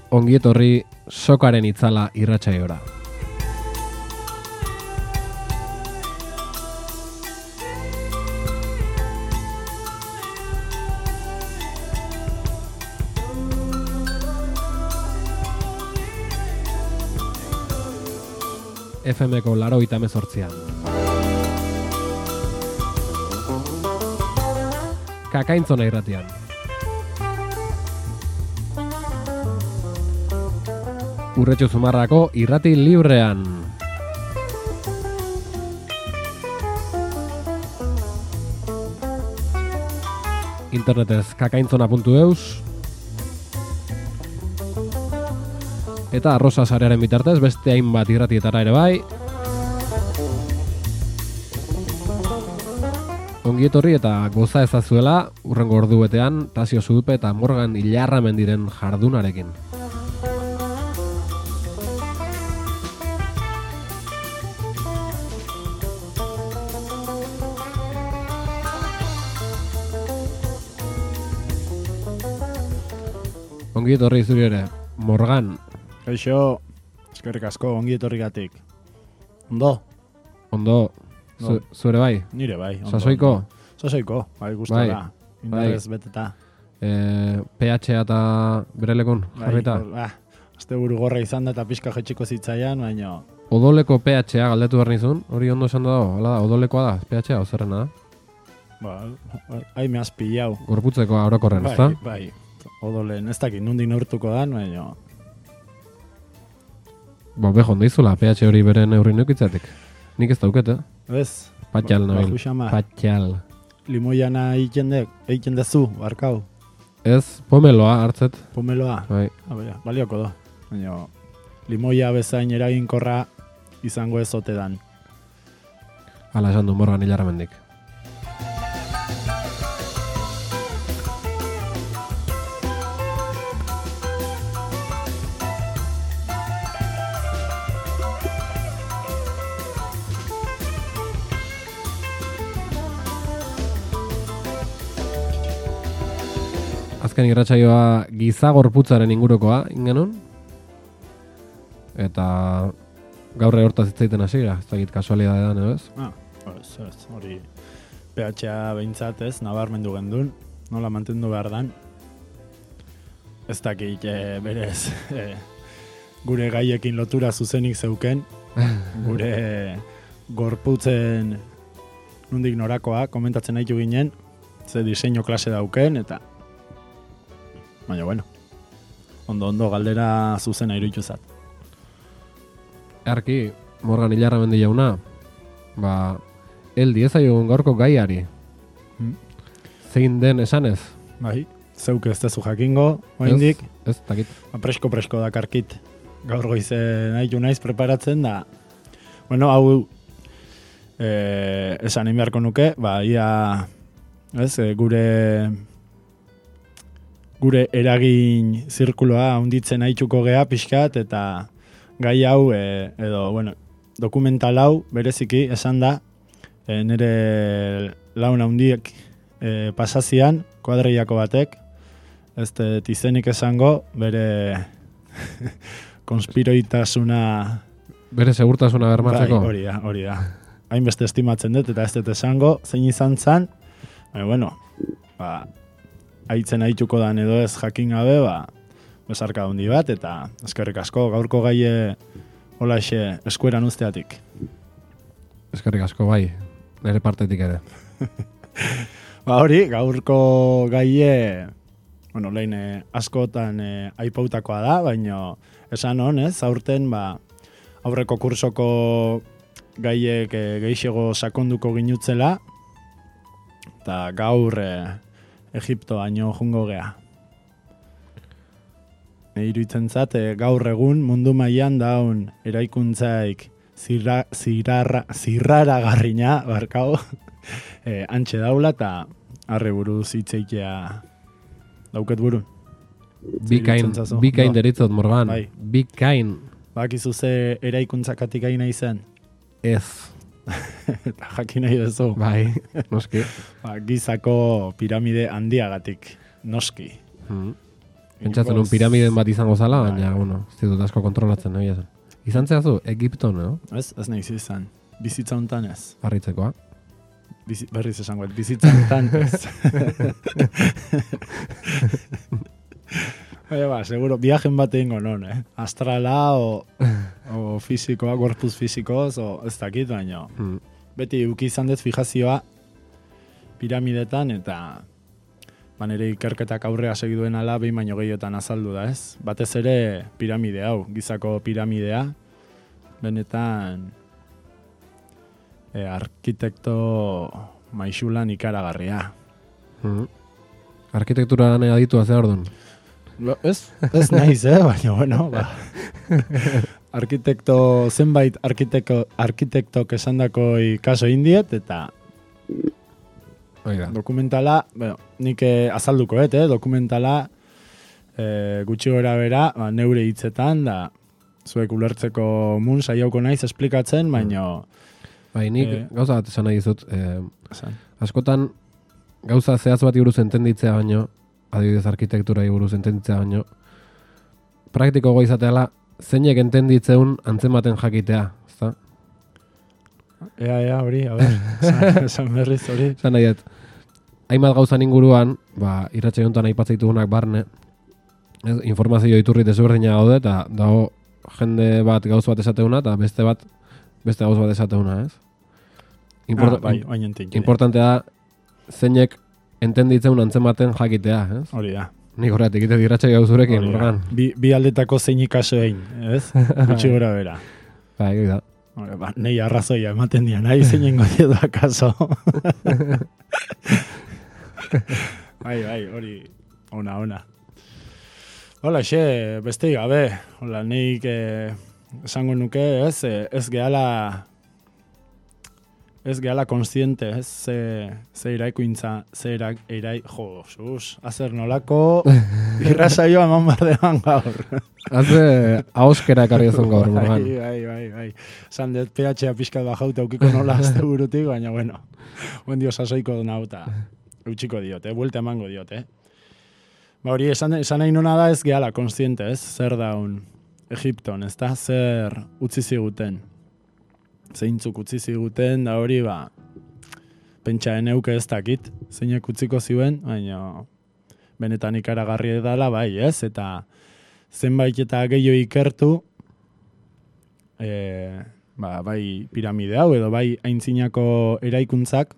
Ongietorri sokaren itzala irratsaiora. FM-ko 88an. Kakaintzona irratian. Urretxu Zumarrako irrati librean. Internetez kakaintzona.eus. Eta Arrosa sarearen bitartez beste hainbat irratietara ere bai. Ongietorri eta goza ezazuela urrengo ordu betean Tasio Zudupe eta Morgan Ilarramendiren jardunarekin. Ongietorri zuri ere, Morgan. Kaixo, eskerrik asko ongietorrigatik. Ondo? Ondo, zure bai? Nire bai. Ondo, Sasoiko? Ondo. Sasoiko, bai gustora. Indarrez beteta. PH eta berelekon jarrita? Azte buru gorra izan da eta pixka jetxiko zitzaian, baina... Odoleko PH-a galdetu behar nizun, hori ondo esan dago, hala da, odolekoa da, PH-a, ozerrena da? Hai me has pillau. Gorputzeko orokorren, ezta? Bai, odolen, ez dakit, nundik neurtuko dan, baina... Bejo ondizula, PH hori bere neurri neukitzatik. Nik ez dauket, Ez? Patxal nabil. Patxal. Limoiana egiten dezu, barkau. Ez, pomeloa hartzet. Pomeloa? Bai. Balioko do. Baina, limoia bezain eraginkorra izango ez ote dan. Hala esan du Morgan Ilarramendik. Azken irratsaioa giza gorputzaren ingurukoa ingenun. Eta gaur hortaz hitzaiten hasiera, ez dakit kasualidadean edo ez? Ez, hori PH-a behintzat ez, nabarmendu gendun, nola mantendu behar dan. Ez dakit berez gure gaiekin lotura zuzenik zeuken, gure gorputzen nondik norakoa komentatzen nahitu ginen, ze diseinu klase dauken, eta baina, bueno, ondo galdera zuzena iruditu zat. Arki, Morgan Ilarramendi jauna, heldi ezaiogun gaurko gaiari. Zein den esanez? Bai, zeuk ez dezu jakingo, oindik. Ez, dakit. Presko dakarkit. Gaur goize naiz preparatzen da. Bueno, hau esan beharko nuke, ia, ez, gure eragin zirkuloa handitzen haitzuko gea pixkat, eta gai hau, dokumental hau, bereziki, esan da, nire laun handiek pasazian, kuadreiako batek, ez izenik esango, bere konspiroitasuna... Bere segurtasuna bermatzeko? Bai, hori da. Hainbeste estimatzen dut, eta ez dut esango, zein izan zan, bueno, aitzen aituko dan edo ez jakin gabe, besarka handi bat, eta eskerrik asko, gaurko gaie holaxe eskueran usteatik. Eskerrik asko, bai, nire partetik ere. Hori, gaurko gaie, lehen askotan aipautakoa da, baina esan honez, aurten, aurreko kursoko gaiek geixego sakonduko ginutzela, eta gaur Egipto haino jungo gea. Iruditzen zat, gaur egun mundu mailan daun eraikuntzaik zirraragarrina, barkau, antxe daula, eta arre buruz hitzeitea dauket burun. Bikain deritzot, Morgan. Bai. Bikain. Bakizu ze eraikuntzakatik gaina izen? Ez. Eta jakin nahi duzu. Bai, noski. Gizako piramide handiagatik, noski. Pentsatzen un piramiden bat izango zala, baina, bueno, ez ditut asko kontrolatzen, nahi zen. Izan zehazu, Egipton, no? Ez nahi izan. Bizitza hontan ez. Harritzekoa. Berriz esango, bizitza hontan ez. Baina, seguro, viajen bat egingo non, Astrala, o fizikoa, gorpuz fizikoz, o ez dakit, baina. Beti uki izan dut fijazioa piramidetan, eta nire ikerketak aurrea segiduen ala behin baino gehiotan azaldu da, ez? Batez ere piramide hau, gizako piramidea, benetan arkitekto maixulan ikaragarria. Arkitektura lanea aditua ze ordun. Ez naiz, baina, bueno, zenbait arkitektok esandako kaso indiet, eta dokumentala, nik azalduko, dokumentala gutxi gora bera, neure hitzetan, da zuek ulertzeko mun saiauko naiz esplikatzen, baina... Bai, nik gauza bat esan nahi dizut. Askotan gauza zehaz bat buruz entenditzea baino, adibidez arkitekturai buruz entenditzea baino, praktiko izateala zeinek entenditzeun antzematen jakitea, ezta? Ea, hori, a ber, esan berriz hori. Esan nahi dut, hainbat gauzan inguruan, irratxe jontan aipatzitugunak barne, informazio iturri desberdina gaude, eta dago jende bat gauz bat esateuna, eta beste gauz bat esateuna, ez? Importantea da, zeinek entenditzeun antzematen jakitea, ez? Hori da. Nik horretik, ite irratxe gauzurekin, Morgan. Bi aldetako zeinik kaso egin, ez? Gutxi gora bera. Bai, da. Nei arrazoia ematen dian, nahi zeinen godio da kaso. Bai, hori, ona. Hola, beste gabe, hola, nik esango nuke, ez gehala konstiente, ze iraikuintza, azer nolako irrasaioa eman bardean gaur. Haze ahoskera ekarri ezon gaur, Morgan. Bai. Zan dut PH-a pixkat bajauta eukiko nola azte burutik, baina bueno, buen dio sasoiko nauta, eutxiko diot, buelta emango diot, Ba hori, esan nahi nuna da ez gehala konstiente, zer daun Egipton, ez da, zer utzi ziguten. Zeintzuk utzi ziguten, da hori, pentsa eneuke ez dakit, zeinek utziko ziuen, baina benetan ikaragarri edala, bai, ez? Eta zenbait eta gehiago ikertu, bai piramide hau, edo bai aintzinako eraikuntzak,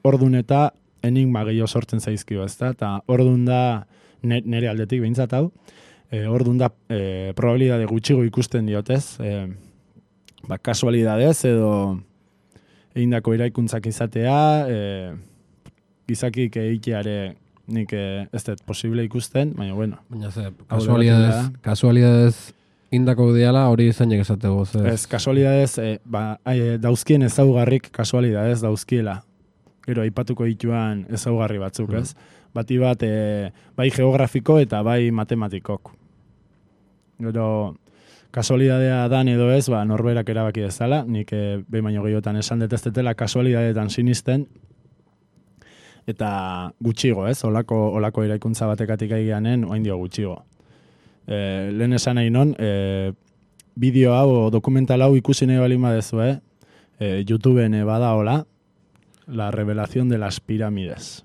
ordun eta enigma gehiago sortzen zaizkio, ez da? Eta ordun da, nire aldetik behintzat hau, ordun da probabilidade gutxigo ikusten diotez, kasualidadez edo egindako eraikuntzak izatea, gizakik egiteare nik ez dut posible ikusten, baina bueno. Baina kasualidadez indako diala hori zeinek esatego. Ez, kasualidadez, dauzkien ezaugarrik kasualidadez dauzkiela. Gero, aipatuko dituan ezaugarri batzuk, ez? Bati bat, bai geografiko eta bai matematikok. Gero, kasualidadea dan edo ez, norberak erabaki dezala, nik behin baino gehiotan esan detestetela kasualidadetan sinisten, eta gutxigo, ez? Olako eraikuntza batekatik aigeanen, oain dio gutxigo. Lehen esan nahi non, bideo hau, dokumental hau ikusi nahi balin badezu, YouTubeen bada hola, La revelación de las pirámides.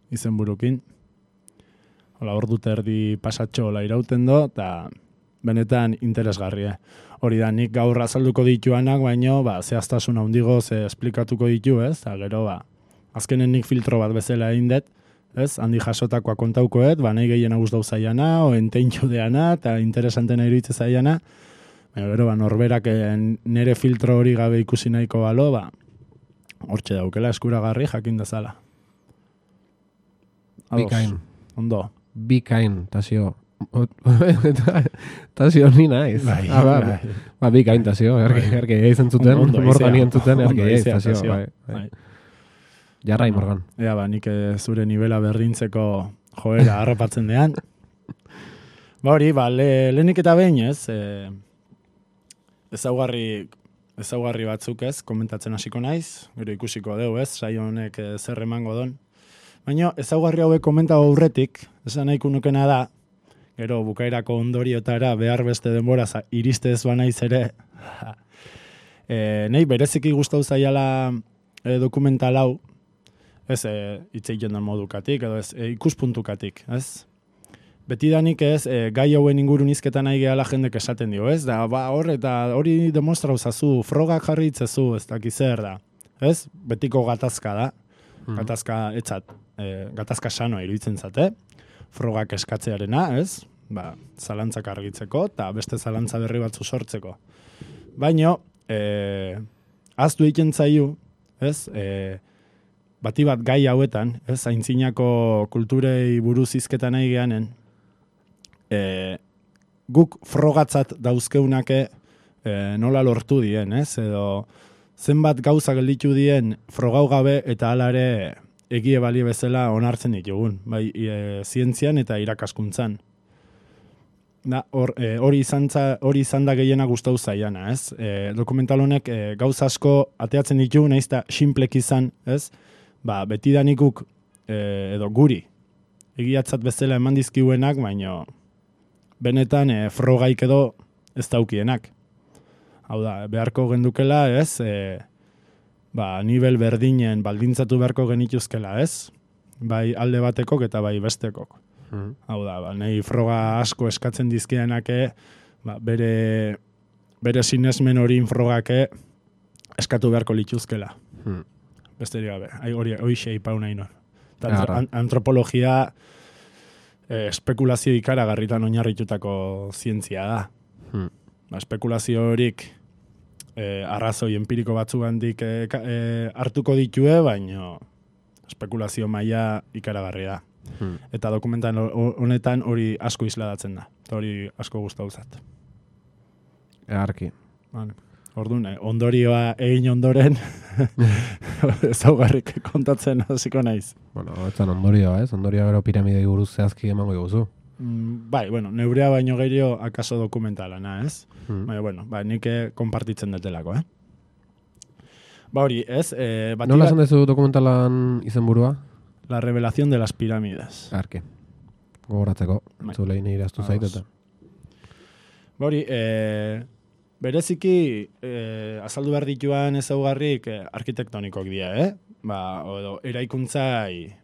Izen burukin. Hola, ordu terdi pasatxo hola irauten do, eta benetan interesgarria. Hori da, nik gaur azalduko dituanak, baino, zehaztasun handigo ze esplikatuko ditu, ez? Eta gero, azkenen nik filtro bat bezala egin dut, ez? Handi jasotakoa kontaukoet, nahi gehien aguz dauz zaiana, o enteintxu deana, eta interesantena iruitze zaiana, baina gero, norberak nere filtro hori gabe ikusi nahiko balo, hortxe daukela eskuragarri jakin dezala. Bikain. Ondo. Bikain, Tasio. Tasio ni naiz. Bikain, Tasio. Erke eizen zuten, Morgan ientzuten, erke eiz, Tasio. Jarrai, Morgan. Ea, nik zure nivela berdintzeko joera harrapatzen dean. Hori, lehenik eta behin, ez? Ezaugarri batzuk ez, komentatzen hasiko naiz, gero ikusiko deu ez, saio honek zer emango don. Baina ezaugarri hauek komentago aurretik, esan nahiko nukena da, gero bukaerako ondoriotara behar beste denbora iriste ez banaiz ere, nahi bereziki gustau zaiala dokumental hau, ez hitzeiten den modukatik, edo ez ikuspuntukatik, ez? Betidanik ez, gai hauen ingurun izketan nahi gehala jendek esaten dio, ez? Da, hori demostra uzazu, frogak jarri itzezu, ez dakiz zer da, ez? Betiko gatazka da, gatazka etzat, gatazka sanoa iruditzen zate, frogak eskatzearena, ez? Ba, zalantzak argitzeko, eta beste zalantza berri batzu sortzeko. Baina, aztu egiten zaiu, ez? Bati bat gai hauetan, ez? Aintzinako kulturei buruz izketan nahi geanen, guk frogatzat dauzkeunake nola lortu dien, ez? Edo zenbat gauza gelditu dien frogau gabe eta alare egie bali bezala onartzen ditugun, bai zientzian eta irakaskuntzan. Hori izan da gehiena gustau zaiana, ez? Dokumental honek gauza asko ateatzen ditu, nahiz eta sinplek izan, ez? Ba, betidanikuk edo guri egiatzat bezala eman dizkiuenak, baino benetan frogaik edo ez daukienak. Hau da, beharko gendukela, ez? Nivel berdinen baldintzatu beharko genituzkela, ez? Bai alde batekok eta bai bestekok. Hau da, nahi froga asko eskatzen dizkienake, bere sinesmen hori frogake eskatu beharko lituzkela. Besterik gabe, hori xeipau nahi nor. Antropologia espekulazio ikaragarritan oinarritutako zientzia da. Espekulazio horik arrazoi empiriko batzugandik hartuko ditue, baina espekulazio maila ikaragarria da. Eta dokumentan honetan hori asko isladatzen da. Eta hori asko gustauzat. Egarki. Orduan, ondorioa egin ondoren ezaugarrik kontatzen hasiko naiz. Bueno, etzan ondorioa, ez? Ondorioa gero piramidei buruz zehazki emango iguzu. Bai, neurea baino gehiago akaso dokumentalana, ez? Nik konpartitzen detelako, hori, ez? Nola esan dezu dokumentalan izenburua? La revelación de las pirámides. Arke. Gogoratzeko. Zulein iraztu zaiteta. Hori, bereziki azaldu behar dituan ezaugarrik arkitektonikok dira, edo eraikuntzai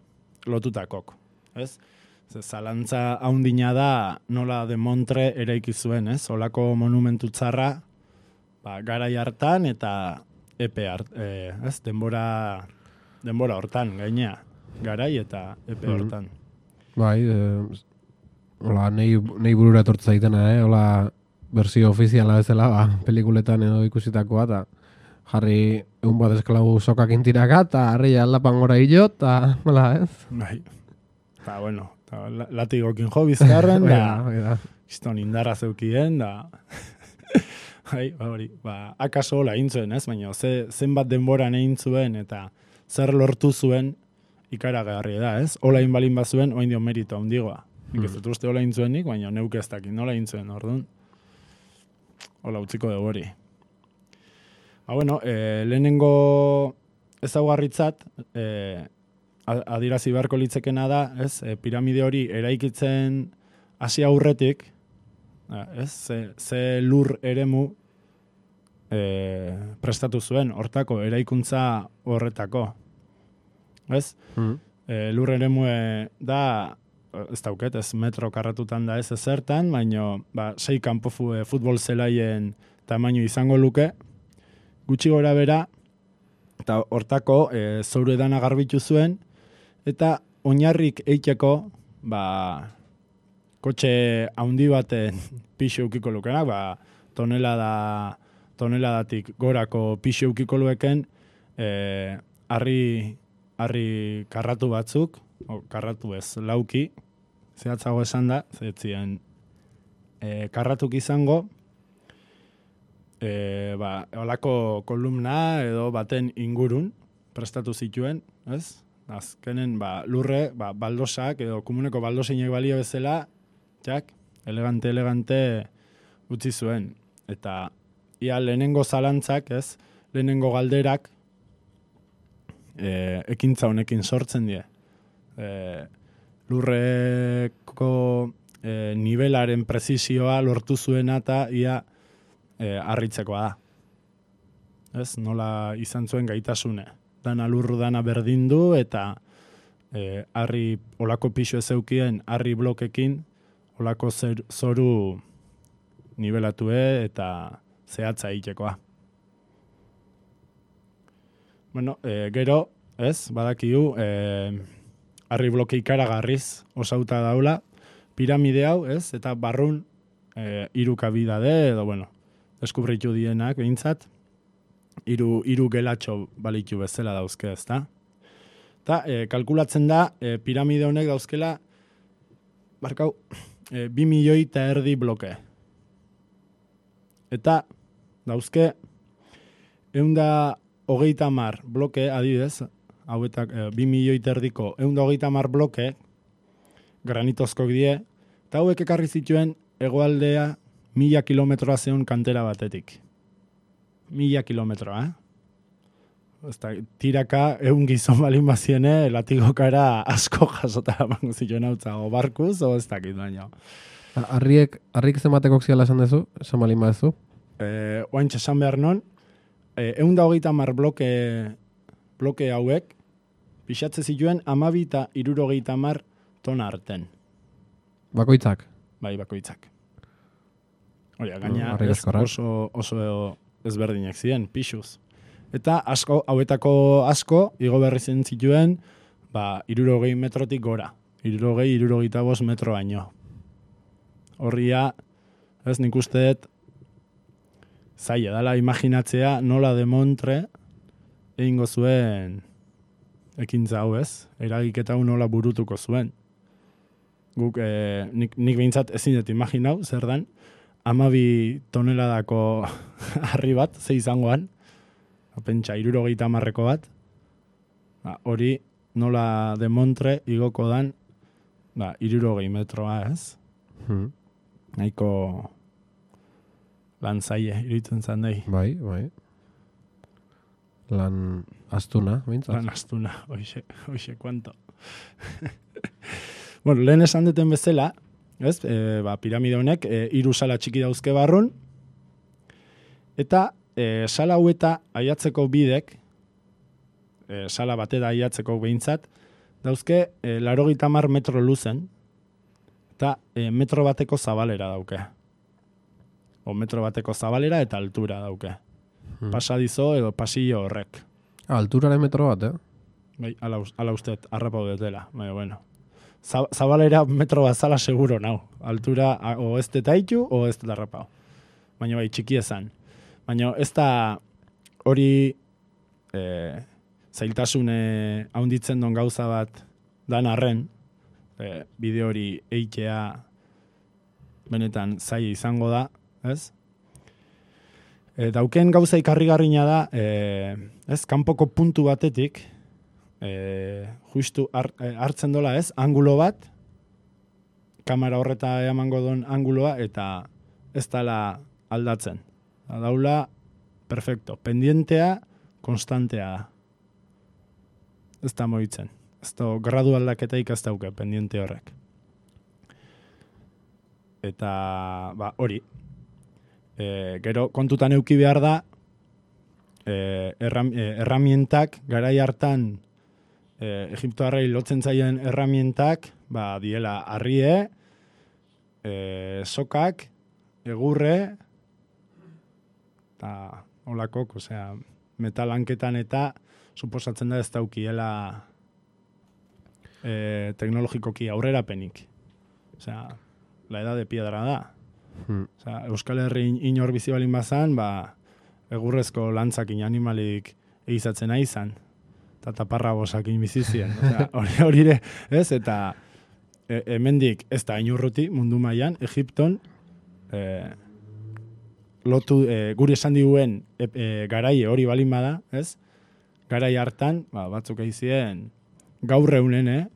lotutakoak, ez? Zalantza haundina da nola de Montre eraiki zuen, ez? Olako monumentu txarra garai hartan eta epe ez? Denbora hortan, gainea. Garai eta epe hortan. Bai, hola, nahi burura etortza zaitena, hola, berzio ofiziala bezala, pelikuletan edo ikusitakoa, eta jarri egun bat esklabu sokak intiraka, eta harri aldapan gora hilo, eta hola, ez? Bai, eta bueno, latigokin jo bizkarren, da, izton indarra zeukien, da, hori, akaso hola intzuen, ez? Baina, zenbat denboran egin zuen, eta zer lortu zuen ikaragarri da, ez? Hola inbalin bazuen, oain dio merito handigoa. Nik ez dut uste hola intzuenik, baina neuk ez dakit nola intzuen, orduan. Hola, utziko dugu hori. Lehenengo ezaugarritzat, adirazi beharko litzekena da, ez? Piramide hori eraikitzen hasi aurretik, ez? Ze lur eremu prestatu zuen, hortako, eraikuntza horretako. Ez? Lur eremu da, ez dauket, ez metro karratutan da ez ezertan, baina 6 kanpo futbol zelaien tamaino izango luke, gutxi gora bera, eta hortako zoru edana garbitu zuen, eta oinarrik eiteko, kotxe handi baten pixo eukiko lukenak, toneladatik gorako pixo eukiko lueken, harri karratu batzuk, karratu ez, lauki, zehatzago esan da, zehetzien karratuk izango, olako kolumna edo baten ingurun prestatu zituen, ez? Azkenen, lurre, baldosak edo komuneko baldosinek balio bezala, elegante utzi zuen. Eta ia lehenengo zalantzak, ez? Lehenengo galderak ekintza honekin sortzen die. lurreko nivelaren prezisioa lortu zuena eta ia harritzekoa da. Ez, nola izan zuen gaitasune. Dana lurru dana berdindu eta harri olako pixu ezeukien harri blokekin olako zoru nivelatue eta zehatza egitekoa. Bueno, gero, ez, badakigu, harri bloke ikaragarriz osauta daula, piramide hau, ez, eta barrun hiru kabidade, edo, bueno, deskubritu dienak, behintzat, hiru gelatxo balitu bezala dauzke, ezta? Eta kalkulatzen da, piramide honek dauzkela, barkau, 2,5 milioi bloke. Eta dauzke, 130 bloke, adibidez, hauetak 2,5 milioi 130 bloke, granitozkoak die, eta hauek ekarri zituen hegoaldea 1000 kilometroa zeun kantera batetik. 1000 kilometroa, tiraka 100 gizon balin baziene, latigokara asko jasota eman zituen hautza, o barkuz, o ez dakit baino. Harrik zenbateko ziala esan dezu, esan balin badezu? Oaintxe esan behar non, 130 bloke hauek, pixatze zituen 12 eta 70 tona arten. Bakoitzak? Bai, bakoitzak. Hori, gaina oso ezberdinak ziren, pixuz. Eta hauetako asko, igo berri zen zituen, 60 metrotik gora. 60-65 metro baino. Horria, ez nik usteet, zaila dela imaginatzea nola demontre egingo zuen ekintza hau, ez? Eragiketa hau nola burutuko zuen. Guk, nik behintzat ezin dut imaginau, zer dan, 12 toneladako harri bat, ze izangoan, pentsa, 70 bat, hori nola demontre igoko dan, 60 metroa, ez? Nahiko lan zaie, iruditzen zan dahi. Bai. Lan astuna, bintzat? Lan astuna, hoxe, kuanto. Bueno, lehen esan duten bezala, ez? Piramide honek, 3 sala txiki dauzke barrun, eta sala hau eta aiatzeko bidek, sala batera aiatzeko behintzat, dauzke 80 metro luzen, eta metro bateko zabalera dauke. O metro bateko zabalera eta altura dauke. Pasadizo edo pasillo horrek. Alturaren metro bat, Bai, ala usteet, harrapau detela. Baina, bueno. Zabalera metro bat zala seguro nau. Altura o ez detaitu o ez harrapau. Baina bai, txiki ezan. Baina ez da hori zailtasune haunditzen don gauza bat dan arren, bideo hori eitea benetan zaila izango da, ez? Dauken gauza ikarrigarrina da, ez, kanpoko puntu batetik, justu hartzen dola, ez, angulo bat, kamera horreta emango don anguloa, eta ez dala aldatzen. Daula, perfecto, pendientea, konstantea da. Ez da moitzen. Ez da gradu aldaketaik ez dauke, pendiente horrek. Eta, hori. Gero, kontutan euki behar da, erramientak, garai hartan, Egiptoarrei lotzen zaien erramientak, diela harrie, sokak, egurre, eta holakok, osea, metalanketan eta suposatzen da ez daukiela teknologikoki aurrerapenik. Osea, la edad de piedra da. Osea, Euskal Herri inor bizi balin bazan, egurrezko lantzakin animalik egizatzen izan. Eta taparra bosakin bizizien. Osea, hori ere, ez? Eta hemendik ez da inurruti mundu mailan Egipton, lotu, guri esan diguen garaie hori balin bada, ez? Garai hartan, batzuk aizien, gaur eunen,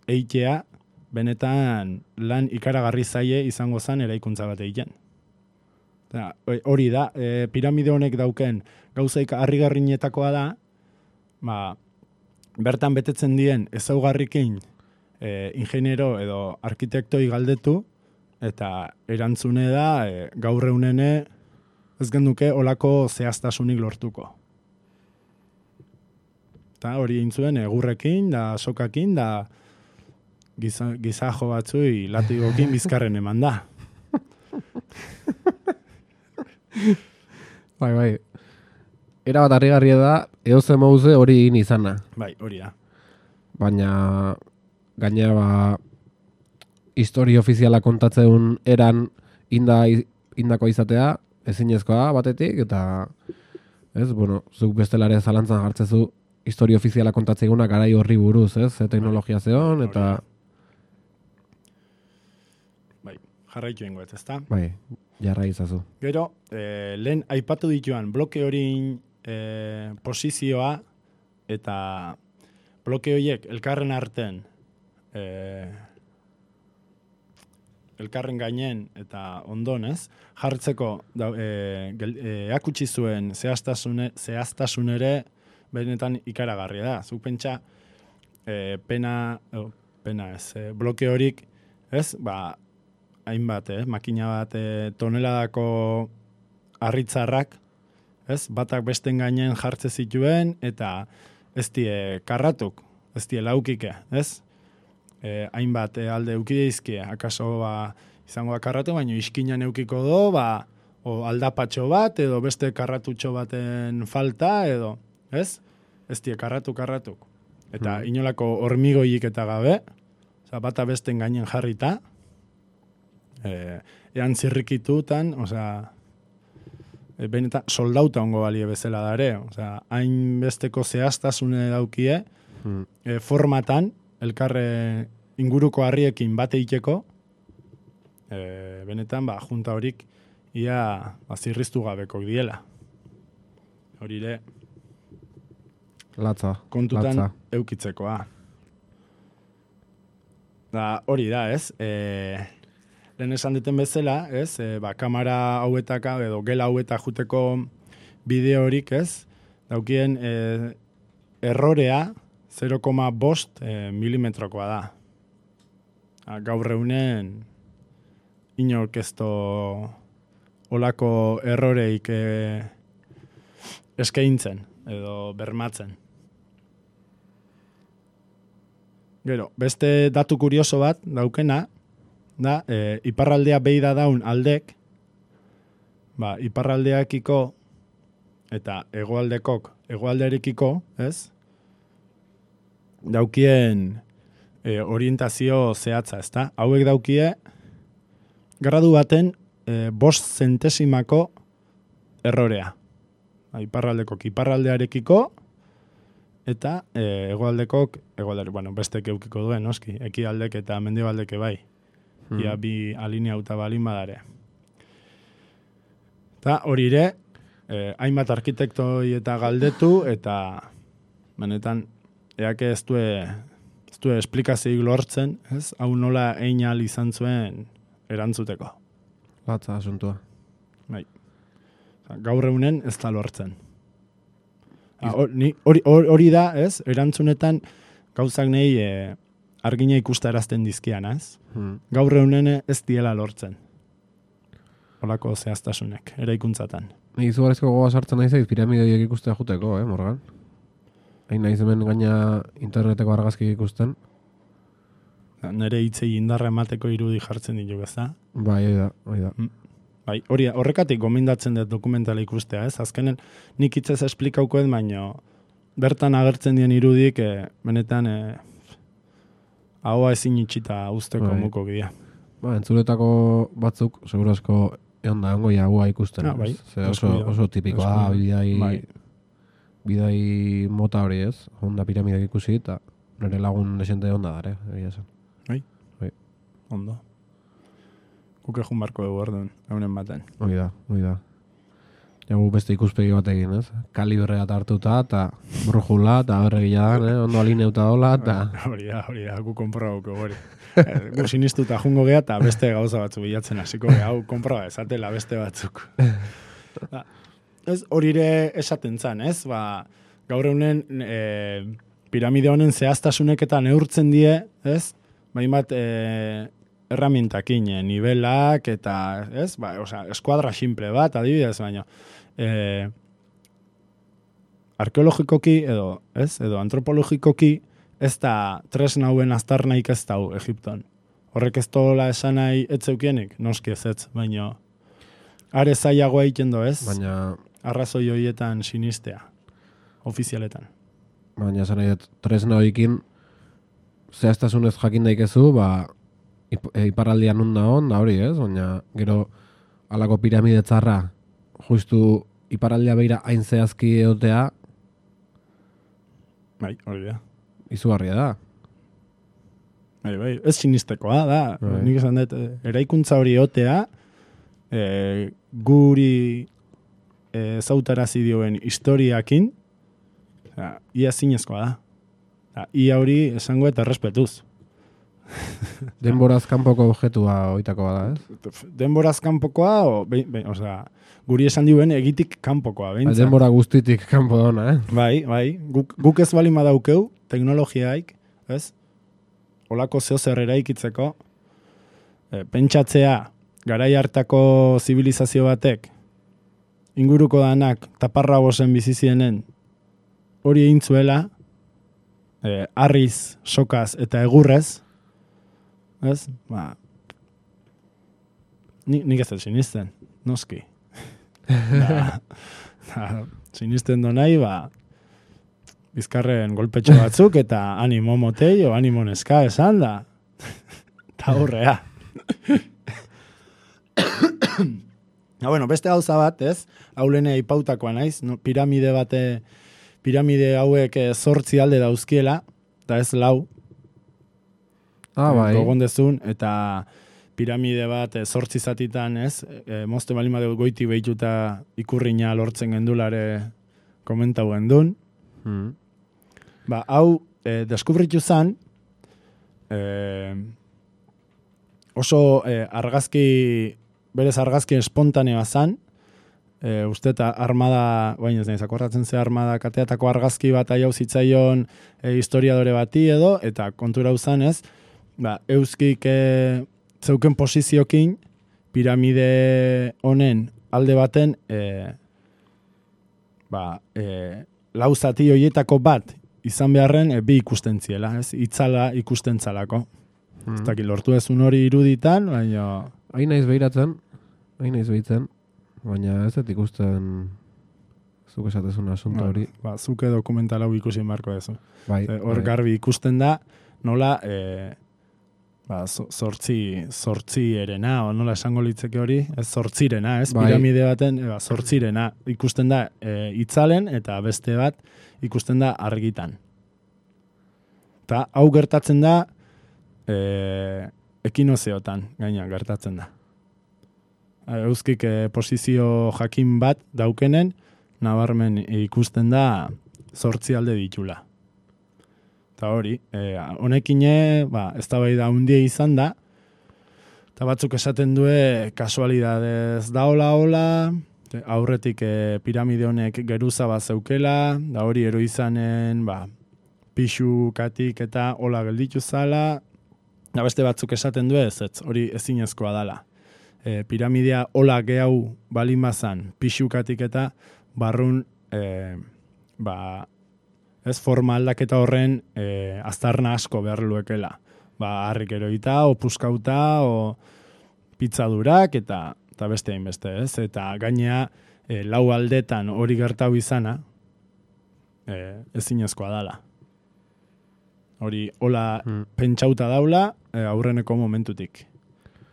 eitea, benetan lan ikaragarri zaie izango zen eraikuntza bat egiten. Hori da, piramide honek dauken gauzaik harrigarrinetakoa da, bertan betetzen dien ezaugarrikin ingeniero edo arkitektoi galdetu, eta erantzune da gaur egunene ez genduke olako zehaztasunik lortuko. Eta hori intzuen egurrekin, da sokakin, da gizajo batzui latigokin bizkarren eman da. Bai. Era bat harrigarria da, eoze mauze hori egin izana. Bai, hori da. Baina gainera historia ofiziala kontatzen eran indako izatea, ezinezkoa batetik, eta zuk bestelare zalantzan jartzezu historia ofiziala kontatzen eguna garai horri buruz, ze teknologia zeon, eta... Bai, jarraitu ingoet, ezta? Bai, jarra izazu. Gero, lehen aipatu dituan bloke hori posizioa, eta bloke horiek elkarren arten, elkarren gainen eta ondonez, jartzeko erakutsi zuen zehaztasun ere benetan ikaragarria da. Zuk pentsa bloke horik, ez? Hainbat, makina bat toneladako harritzarrak, ez? Batak besten gainen jartze zituen eta ez die karratuk, ez die laukike, ez? Hainbat alde eukideizkie, akaso izango da karratu, baina iskinan eukiko do, o aldapatxo bat, edo beste karratutxo baten falta, edo, ez? Ez die karratuk. Eta inolako hormigoik eta gabe, bata besten gainen jarrita, ean zirrikitutan, benetan soldauta ongo balie bezala dare, hain besteko zehaztasune daukie, formatan, elkarre inguruko harriekin bate iteko, benetan, junta horik ia zirriztu gabeko diela. Horire, kontutan eukitzekoa. Hori da, ez? Lehen esan duten bezala, ez? Kamera hauetaka edo gela hauetak juteko bideo horik, ez? Daukien errorea 0,5 milimetrokoa da. Gaur eunen inorkesto olako erroreik eskaintzen edo bermatzen. Gero, beste datu kurioso bat daukena, da, iparraldea behi da daun aldek, iparraldeakiko eta hegoaldearekiko, ez? Daukien orientazio zehatza, ezta? Hauek daukie gradu baten 5 zentesimako errorea. Iparraldekok iparraldearekiko eta hegoaldekok bestek eukiko duen, noski, ekialdek eta mendebaldeke bai. Ia bi alineauta balin badare. Eta horire, hainbat arkitektoi eta galdetu, eta benetan, eake ez du esplikazioik lortzen, ez? Hau nola egin ahal izan zuen erantzuteko. Latza asuntua. Bai. Gaur egunen ez da lortzen. Hori da, ez? Erantzunetan gauzak nahi argina ikustarazten dizkian, ez? Gaur egunen ez diela lortzen. Holako zehaztasunek, eraikuntzatan. Ni izugarrizko gogoa sartzen nahi piramideiak ikustea juteko, Morgan? Hain nahi hemen gaina interneteko argazki ikusten. Nere hitzei indarra emateko irudi jartzen ditu, ez da? Bai, hori da. Bai, horrekatik gomendatzen dut dokumentala ikustea, ez? Azkenen nik hitzez esplikauko ez, baino bertan agertzen dien irudik, benetan ahoa ezin itxita usteko muko bidea. Entzuletako batzuk, seguro asko egon da, ongoia hua ikusten. Oso tipikoa, bidai mota hori ez, honda piramidak ikusi, eta nire lagun desente honda dare, egia zen. Bai? Ondo. Guk egun barko dugu orduan, eunen baten. Hoi da. Jagu beste ikuspegi bat egin, ez? Kalibre bat hartuta, eta brujula, eta berregila da, ondo alineuta dola, eta... Hori da, gu konprobauko hori. Gu sinistuta jungo geha, eta beste gauza batzu bilatzen hasiko geha, hau konproba esatela beste batzuk. Horire esaten zan, ez? Gaur eunen piramide honen zehaztasunek eta neurtzen die, ez? Bainbat erramintakin, nivelak eta, ez? Ba, eskuadra simple bat, adibidez, baina arkeologikoki edo antropologikoki ez da tresna hauen aztarnaik ez dau Egipton. Horrek ez dola esan nahi etzeukienik, noski ez, baina are zailagoa egiten ez? Baina arrazoi horietan sinistea, ofizialetan. Baina esan nahi tresna horiekin zehaztasunez jakin daikezu, ba, iparraldian da hori, ez? Baina gero alako piramide txarra justu iparraldia beira hain zehazki egotea bai, hori da. Izugarria da. Bai, ez sinistekoa da. Nik esan dut, eraikuntza hori egotea guri zautarazi dioen historiakin ia zinezkoa da. Ia hori esango eta errespetuz. Denboraz kanpoko objetua oitako bada, ez? Denboraz kanpokoa, guri esan dioen egitik kanpokoa. Denbora guztitik kanpo dona, Bai. Guk ez bali madaukeu, teknologiaik, ez? Olako zehozer eraikitzeko, pentsatzea, garai hartako zibilizazio batek, inguruko danak taparra bosen bizizienen, hori egin zuela, harriz, sokaz eta egurrez, ez? Ba, nik ez sinisten, noski. Sinisten do nahi, ba, bizkarren golpetxo batzuk eta animo motei o animo neska esan da. Ta horrea. Beste gauza bat, ez? Haulene ipautakoa naiz, no? Piramide hauek 8 alde dauzkiela, eta ez 4. Bai. Gogon dezun, eta piramide bat 8 zatitan, ez? Mozte balima dugu goiti behituta ikurriña lortzen gendulare komentau gendun. Ba, hau, deskubritu zan, oso berez argazki espontaneoa zan, uste eta armada, baina ez nahi, zakorratzen ze armada kateatako argazki bat aiau zitzaion historiadore bati edo, eta kontura uzan ez, ba, euskik zeuken posiziokin piramide honen alde baten lau zati horietako bat izan beharren bi ikusten ziela, ez? Itzala ikusten zalako. Ez dakit, lortu ezun hori iruditan, baina... Hain naiz behiratzen, baina ez dut ikusten zuk esatezun asunto hori. Ba, zuke dokumental hau ikusi marko ezu. Bai, hor garbi ikusten da, nola zortzi erena, o nola esango litzeke hori, ez zortzirena, ez? Bai. Piramide baten, zortzirena ikusten da itzalen, eta beste bat ikusten da argitan. Eta hau gertatzen da ekinozeotan, gaina gertatzen da. Euskik posizio jakin bat daukenen, nabarmen ikusten da 8 alde ditula. Eta hori, honekine, eztabaida handia izan da, eta batzuk esaten due kasualidadez da hola, aurretik piramide honek geruza bat zeukela, da hori ero izanen, pixukatik eta hola gelditu zala, da beste batzuk esaten du ez, hori ezinezkoa dala. Piramidea hola gehau balin bazan, pixukatik eta barrun, ez forma aldaketa horren aztarna asko behar luekela. Harrik eroita, o puskauta, o pizzadurak, eta beste hainbeste, ez? Eta gainea, 4 aldetan hori gertau izana, ezinezkoa dala. Hori, hola pentsauta daula, aurreneko momentutik.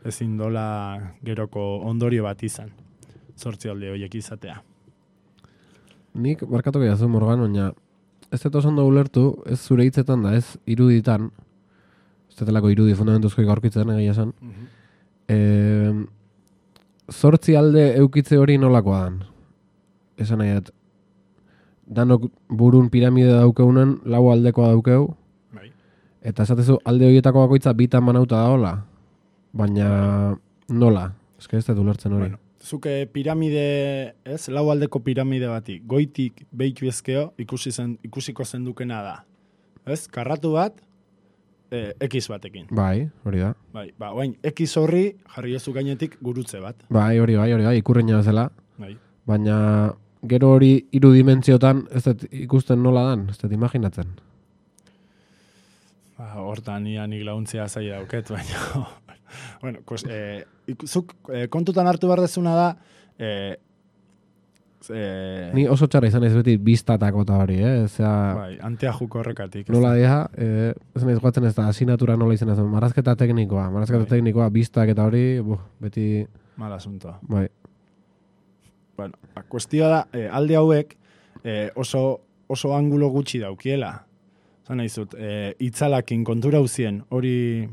Ezin dola geroko ondorio bat izan. 8 alde horiek izatea. Nik barkatuko jazu, Morgan, baina ez dut oso ulertu, ez zure hitzetan da, ez iruditan, ez dutelako irudi fundamentuzko gaurkitzen egia esan, 8 alde eukitze hori nolakoa dan? Esan nahi, danok burun piramide daukeunen, 4 aldekoa daukeu, eta esatezu alde horietako bakoitza bitan banauta da hola, baina nola? Ez ez dut ulertzen hori. Bueno. Zuke piramide, ez, 4 aldeko piramide bati, goitik behitu ezkeo ikusiko zendukena da. ez? Karratu bat, X batekin. Bai, hori da. Bai, oain, X horri jarri ezu gainetik gurutze bat. Bai, hori, ikurreina bezala. Bai. Baina gero hori 3 dimentsiotan ez dut ikusten nola dan, ez dut imaginatzen. Hortan nik laguntzea zaila dauket, baina bueno, zuk kontutan hartu behar dezuna da ni oso txarra izan ez beti biztatako eta hori, Bai, anteajuko horrekatik. Nola dira, ez nahiz guatzen ez da asignatura nola izan ez, marrazketa teknikoa, biztak eta hori, beti... Mal asunto. Bai. Bueno, kuestioa da, alde hauek oso angulo gutxi daukiela. Zan nahizut, itzalakin kontura huzien, hori,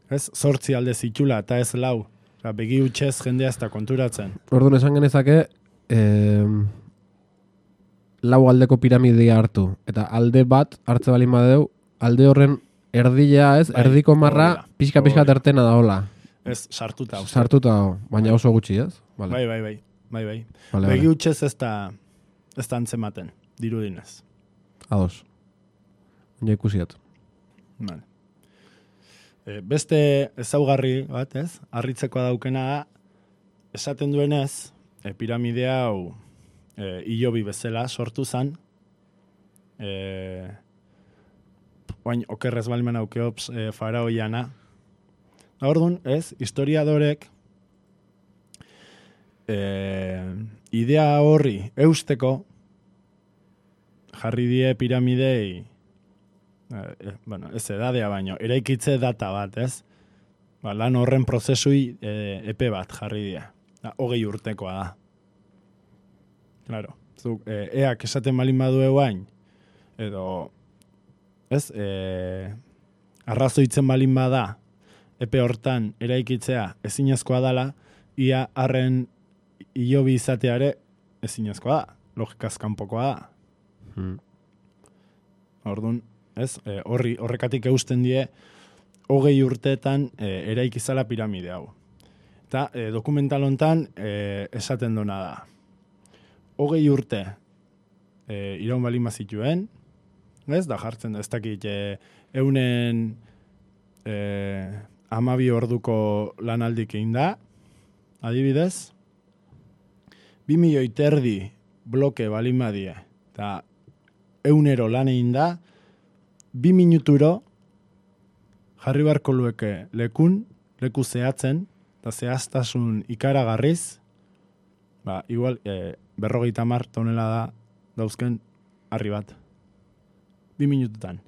ez, 8 alde zitula, eta ez 4. Begi utxez jendea ez da konturatzen. Orduan esan genezake, 4 aldeko piramidea hartu. Eta alde bat hartze balin badeu, alde horren erdilea ez, bai, erdiko marra, pixka tertena da hola. Ez, sartuta. Baina oso gutxi ez? Vale. Bai. Begi utxez ez da antzematen, dirudinez. Ados. Ja ikusiat. Vale. Beste ezaugarri bat, ez? Harritzekoa daukena da, esaten duenez, piramidea hau hilobi bezala sortu zen, oain okerrez balmen aukeops faraoiana. Orduan, ez, historiadorek idea horri eusteko jarri die piramidei ez edadea baino, eraikitze data bat, ez? Lan horren prozesui epe bat jarri die. 20 urtekoa da. Claro. Eak esaten balin badu eguain, edo, ez, arrazoitzen balin bada, epe hortan eraikitzea ezinezkoa dala, ia harren hilobi izateare ezinezkoa da. Logikaz kanpokoa da. Orduan, ez, horrekatik eusten die 20 urteetan eraikizala piramide hau. Eta dokumental hontan esaten duna da. 20 urte iraun balin bazituen, ez, da jartzen da, ez dakit eunen 12 orduko lanaldik egin da, adibidez, 2 milioi terdi bloke balin badie, eta eunero lan egin da, 2 minuturo jarri barko lueke leku zehatzen, eta zehaztasun ikaragarriz, igual, 50 tonela da dauzken harri bat. 2 minututan.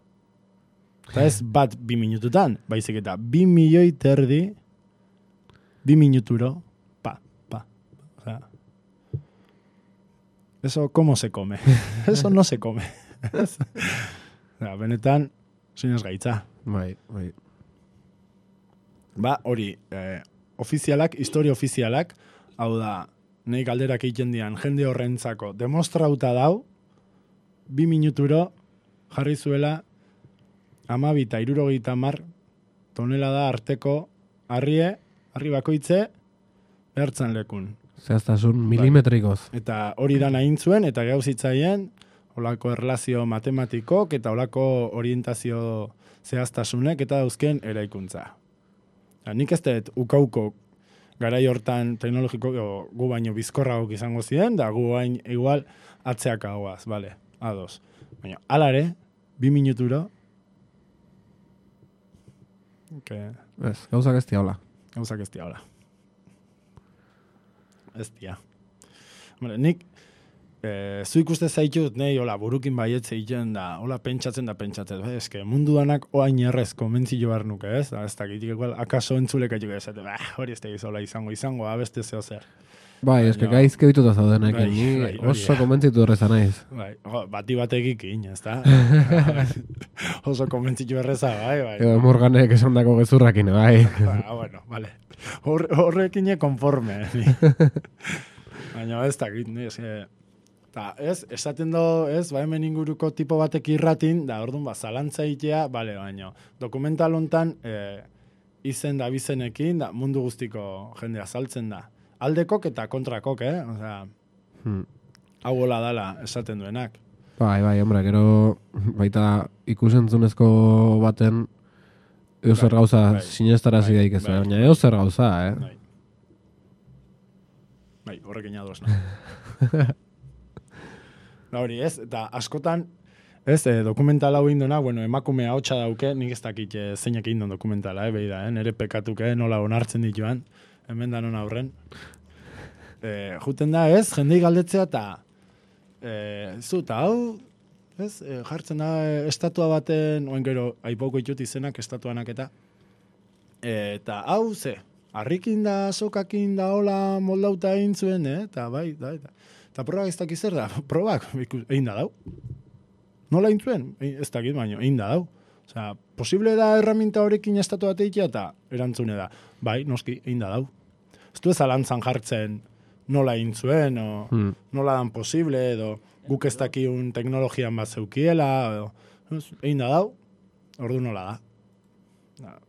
Eta ez bat 2 minututan, baizik eta 2 milioi terdi 2 minuturo, pa. O sea, eso, ¿cómo se come? Eso no se come. Benetan, sinez gaitza. Bai. Hori, ofizialak, historia ofizialak, hau da, nahi galderak egiten dian, jende horrentzako, demostrauta dau, 2 minuturo jarri zuela 12 eta 70 tonela da arteko harri bakoitze, behartzen lekun. Zehaztasun milimetrikoz. Eta hori da nahin zuen, eta gauzitzaien, olako erlazio matematikok, eta olako orientazio zehaztasunek, eta dauzken eraikuntza. Nik ez dut ukauko garai hortan teknologiko gu baino bizkorragok izango ziren, da gu bain igual atzeak hauaz, bale, ados. Baina, alare, 2 minuturo. Ez, gauzak ez diaula. Ez dia. Nik, zu ikuste zaitut, nahi, burukin baietze egiten da, pentsatzen. Eske, mundu danak oain errez konbentzio behar nuke, ez? Ez dakitik, akaso entzuleka juke esate, hori ez da izola izango, abeste zeo zer. Bai, eske gaizke bituta zaudenek, ni oso konbentzitu horreza naiz. Bai, bati bategikin, ez da? Oso konbentzitu erreza, bai. Morganek esan dako gezurrakin, bai. Bueno, vale. Horrekin konforme. Baina ez dakit, esaten do, hemen inguruko tipo batek irratin, da orduan zalantza itea, baina dokumental hontan izen da bizenekin, da mundu guztiko jendea saltzen da. Aldekok eta kontrakok, Osea, hau hola dala esaten duenak. Bai, hombre, gero baita ikusentzunezko baten zer gauza sinestarazi daik ez, baina zer gauza, Bai, horrekin ados, no? Hori, ez, eta askotan, ez, dokumental hau indona, bueno, emakume ahotsa dauke, nik ez dakit zeinak indon dokumentala, behi da, nere pekatuke, nola onartzen dituan, hemen danon aurren. Juten da, ez, jendei galdetzea, eta hau, ez, jartzen da estatua baten, oen gero, aipauko itut izenak estatuanak eta hau, harrikin da, sokakin da, hola, moldauta egin zuen, eta bai, eta probak ez dakiz zer da, probak, egin da dau. Nola egin zuen? Ez dakit baino, egin da dau. Osea, posible da herramienta horrekin estatua teikia, eta erantzune da, bai, noski, egin da dau. Ez du ez alantzan jartzen nola egin zuen, o nola dan posible, edo guk ez dakiun teknologian bat zeukiela, edo, egin da dau, ordu nola da.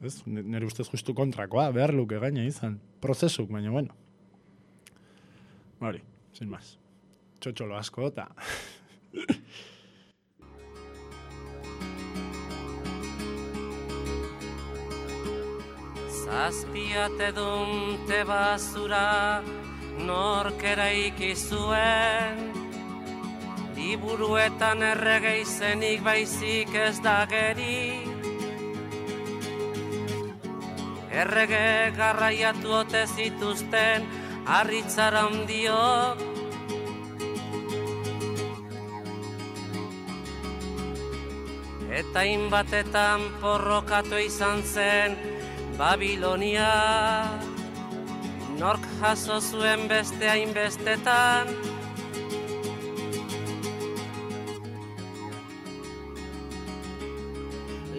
Ez, nire ustez justu kontrakoa, behar luke gaina izan, prozesuk, baina bueno. Hori, sin más. Txotxolo asko, eta... Zazpiate dunte bazura nork eraiki zuen, liburuetan errege izenik baizik ez da geri. Errege garraiatu ote zituzten harritzara handiok, eta inbatetan porrokatu izan zen Babilonia. Nork jaso zuen beste hainbestetan,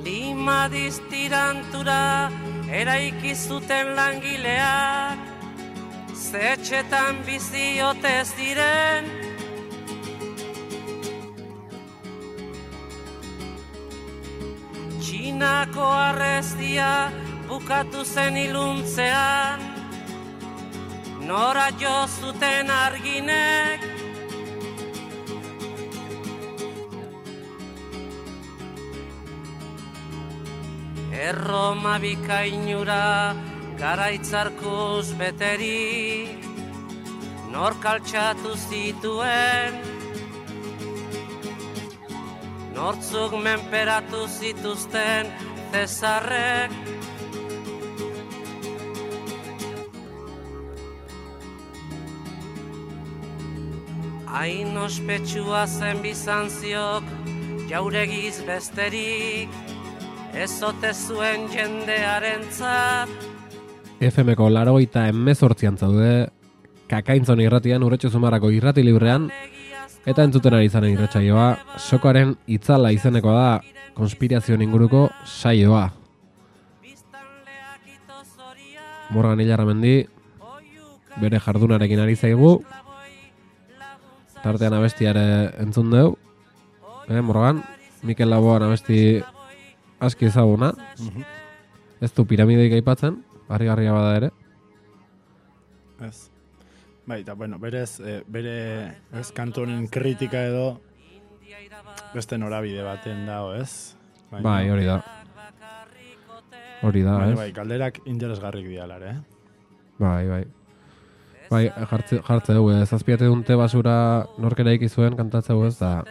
lima diztirantura eraiki zuten langileak, zetxetan bizi ote ziren. Txinako arrestia bukatu zen iluntzean, nora jo zuten arginek. Erroma bikainura garaitzarkuz beteri, nork altxatu zituen, nortzuk menperatu zituzten Zesarrek. Hain ospetsua zen Bizantziok jauregiz besterik, ez ote zuen jendearentzat. FM-ko 88 zaude, Kakaintzon irratian, Urretxo Zumarrako irrati librean, eta entzuten ari zanen irratsaioa, Sokoaren itzala izeneko da, konspirazioen inguruko saioa. Morgan Ilarramendi, bere jardunarekin ari zaigu, tartean abestiare entzun deu, Morgan, Mikel Laboan abesti aski ezaguna, ez du piramideik aipatzen, harrigarria bada ere. Ez. Bai, eta bueno, berez, bere kantu honen kritika edo beste norabide baten dago, ez? Bai, hori da. Hori da, ez? Bai, galderak interesgarrik dialare, Bai. Bai, jartze dugu, zazpiate dunte basura norkera ikizuen kantatze dugu, ez da...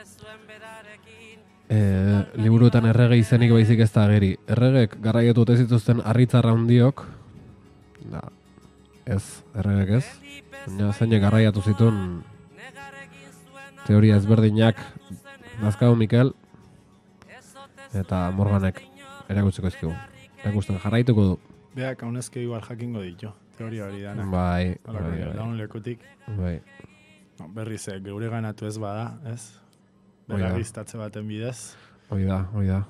liburuetan errege izenik baizik ez da ageri. Erregek garraietu ote zituzten harritzarra handiok, ez, erregek ez, baina zeinek garraiatu zituen teoria ezberdinak Nazkau Mikel eta Morganek erakutzeko ezkigu. Erakusten jarraituko du. Beak haunezke igual jakingo ditu, teoria hori danak. Bai. Daun lekutik. Bai. Berriz, geure ganatu ez bada, ez? Beragiztatze baten bidez. Hoi da.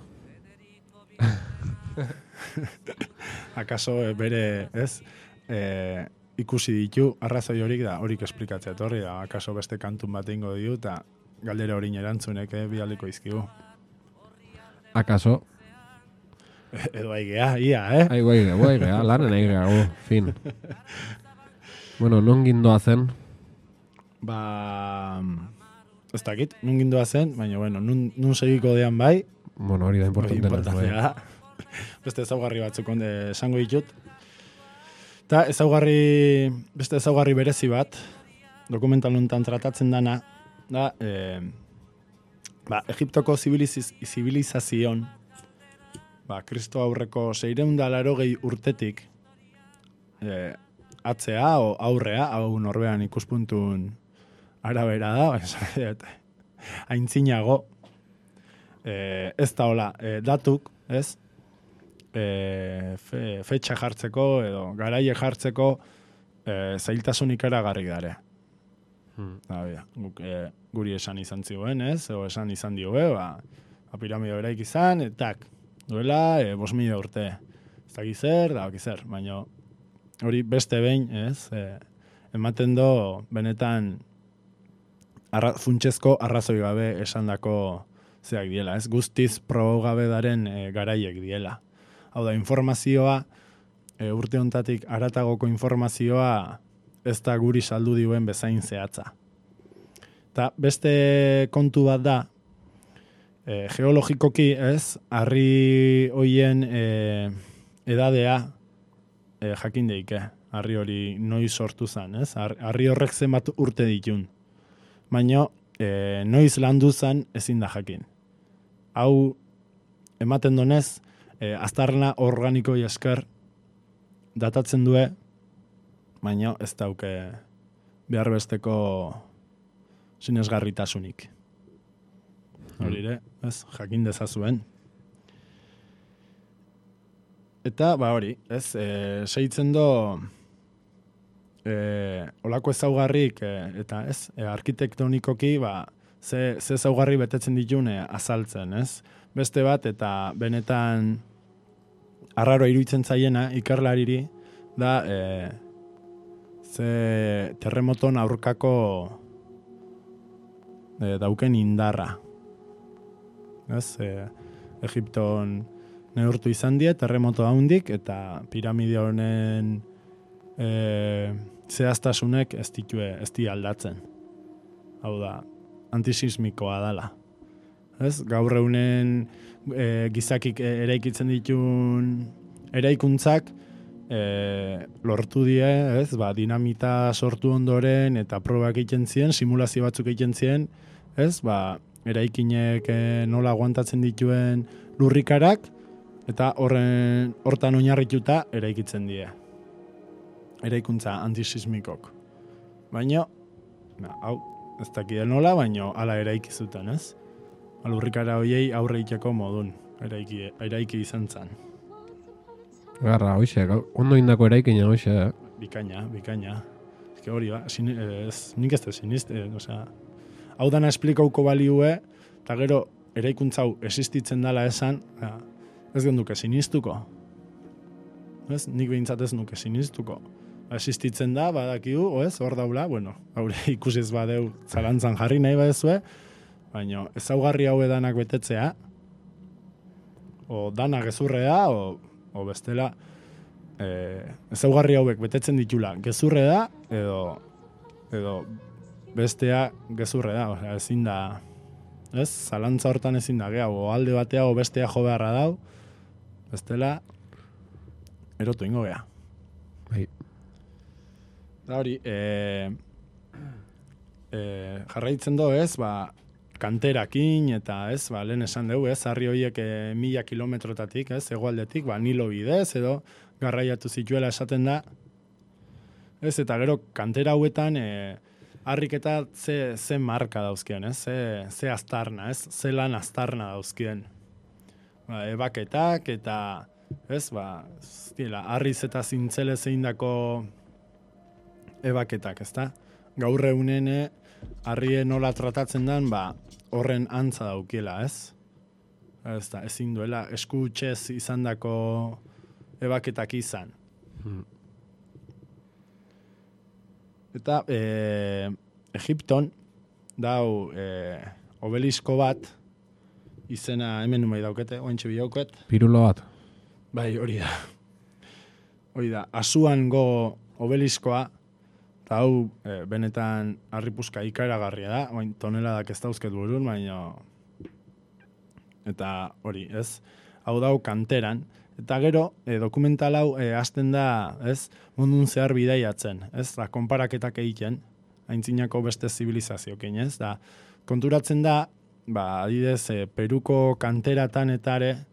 Akaso bere, ez? Ikusi ditu, arrazoi horik da, horik esplikatzea etorri da. Akaso beste kantun bat ingo ditu, eta galdera horin erantzunek bialiko izkigu. Akaso? Edo aigea, ia, Aigea, lanen aigea, fin. Bueno, non gindoa zen? ez dakit, nun gindua zen, baina, bueno, nun segiko dean bai. Bueno, hori da importantea. Beste ezaugarri batzuk esango ditut. Eta beste ezaugarri berezi bat, dokumental honetan tratatzen dana, da, Egiptoko zibilizazion, Kristo aurreko 680 urtetik, atzea o aurrea, hau norbean ikuspuntun arabera da, aintzinago, ez da hola, datuk, ez? Fetxa jartzeko edo garaie jartzeko zailtasunik eragarri dare. Guri esan izan zioen, ez? O esan izan dioe, piramide beraik izan, etak, duela 5.000 urte. Ez da gizer, baina hori beste behin, ez? Ematen do, benetan funtsezko arrazoi gabe esandako zeak diela, ez? Guztiz probo gabe daren garaiek diela. Hau da, informazioa, urte hontatik aratagoko informazioa ez da guri saldu dioen bezain zehatza. Eta beste kontu bat da, geologikoki, ez, harri hoien edadea jakin deike, harri hori noiz sortu zen, ez? Harri horrek zenbat urte ditun. Baina noiz landu zen ezin da jakin. Hau ematen donez, aztarna organikoi esker datatzen due, baina ez dauke behar besteko sinesgarritasunik. Horire, ez, jakin dezazuen. Eta, hori, ez, segitzen do olako ezaugarrik, eta ez, arkitektonikoki, ze ezaugarri betetzen ditun azaltzen, ez? Beste bat, eta benetan arraro iruditzen zaiena, ikerlariri, da, ze terremoton aurkako dauken indarra. Ez, Egipton neurtu izan die, terremoto haundik, eta piramide honen zehaztasunek ez di aldatzen. Hau da, antisismikoa dala. Ez, gaur egunen gizakik eraikitzen ditun eraikuntzak lortu die, ez, dinamita sortu ondoren eta probak egiten ziren, simulazio batzuk egiten ziren, ez, eraikinek nola aguantatzen dituen lurrikarak, eta hortan oinarrituta eraikitzen die. Eraikuntza antisismikok. Baina, hau, ez dakide nola, baina hala eraiki zuten, ez? Lurrikara hoiei aurre egiteko modun eraiki izan zen. Garra, hoxe, ondo indako eraikina, hoxe. Bikaina. Ez hori, nik ez da siniste, hau dana esplikauko baliue, eta gero eraikuntzau existitzen dela esan, ez genduke sinistuko. Ez, nik behintzat ez nuke sinistuko. Existitzen da, badakigu, hor daula, bueno, haure ikusiz badeu zalantzan jarri nahi badezue, baina ezaugarri hau edanak betetzea, o dana gezurrea, o bestela, ezaugarri hauek betetzen ditula gezurre da, edo bestea gezurre da, ezin da, ez, zalantza hortan ezin da, o alde batea o bestea jo beharra dau, bestela, erotu ingo gea. Bai. Da hori, jarraitzen do, ez, kanterakin, eta ez, lehen esan dugu, ez, harri horiek 1000 kilometrotatik, ez, hegoaldetik, Nilo bidez, edo garraiatu zituela esaten da, ez, eta gero kantera hauetan, harrik eta ze marka dauzkien, ez, ze aztarna, ez, ze lan aztarna dauzkien. Ebaketak, eta, ez, harriz eta zintzele zeindako ebaketak, ez da? Gaur egunen harrie nola tratatzen den, horren antza daukiela, ez? Ez da, ezin duela eskutxez izandako ebaketak izan. Eta Egipton dau obelisko bat, izena hemen numai daukete, ointxe bilauket. Pirulo bat. Bai, hori da. Asuango obeliskoa, Eta hau, benetan harripuzka ikaragarria da, baina toneladak ez dauzket burun, baina... Eta hori, ez? Hau dau kanteran. Eta gero, dokumental hau hasten da, ez? Mundun zehar bidaiatzen, ez? Da, konparaketak egiten, aintzinako beste zibilizazioekin, ez? Da, konturatzen da, adidez, Peruko kanteratan etare,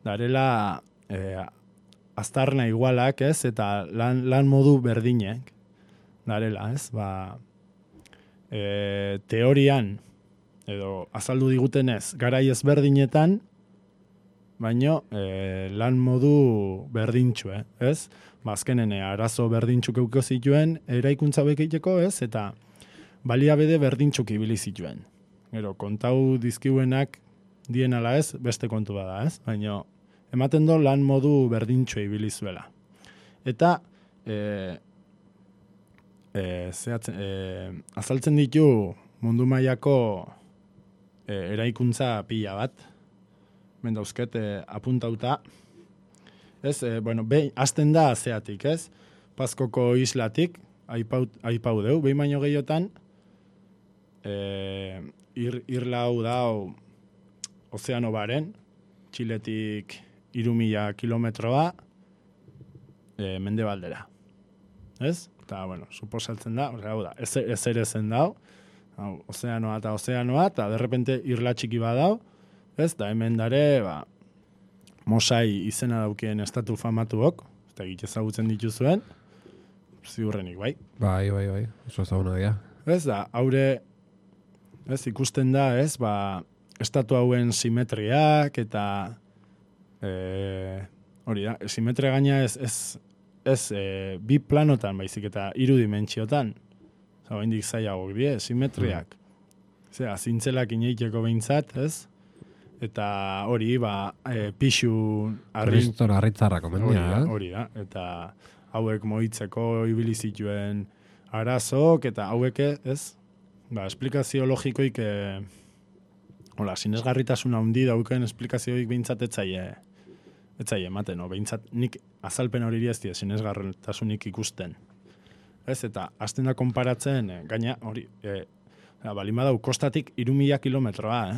darela aztarna igualak, ez? Eta lan modu berdinek, darela, ez? Teorian, edo azaldu digutenez, garai ezberdinetan, baino lan modu berdintxu, ez? Azkenen arazo berdintxuk euko zituen eraikuntza bekiteko, ez? Eta baliabide berdintxuk ibili zituen. Gero, kontau dizkiuenak dien ala ez, beste kontu bada, ez? Baino, ematen do lan modu berdintxu ibili zuela. Eta azaltzen ditu mundu mailako eraikuntza pila bat, mendauzket apuntauta. Ez, hasten da zeatik, ez? Paskoko islatik, aipau deu, behin baino gehiotan, irla hau dau ozeano baren, Txiletik 3.000 kilometroa mendebaldera. Ez? Eta, suposatzen da, hau da, ez ere zen dau, ozeanoa, eta derrepente irla txiki badau, ez, da hemen dare, Mosai izena daukien estatu famatuok, eta egite ezagutzen dituzuen, ziurrenik, bai. Bai, oso ezaguna dira. Ez da, haure, ez, ikusten da, ez, estatu hauen simetriak, eta hori da, simetria gaina ez bi planotan baizik, eta 3 dimentsiotan, indik zaiagok die, simetriak. Zera, zintzelak ineiteko behintzat, ez? Eta hori, pixu harritzarrako mendia, hori da, eta hauek moitzeko ibili zituen arazok, eta hauek, ez? Esplikazio logikoik, sinesgarritasuna handi dauken esplikazioik behintzat etzaie ematen, behintzat nik azalpen hori ez die sinesgarritasunik ikusten. Ez, eta hasten da konparatzen, gaina, hori, balin badau, kostatik 3.000 kilometroa,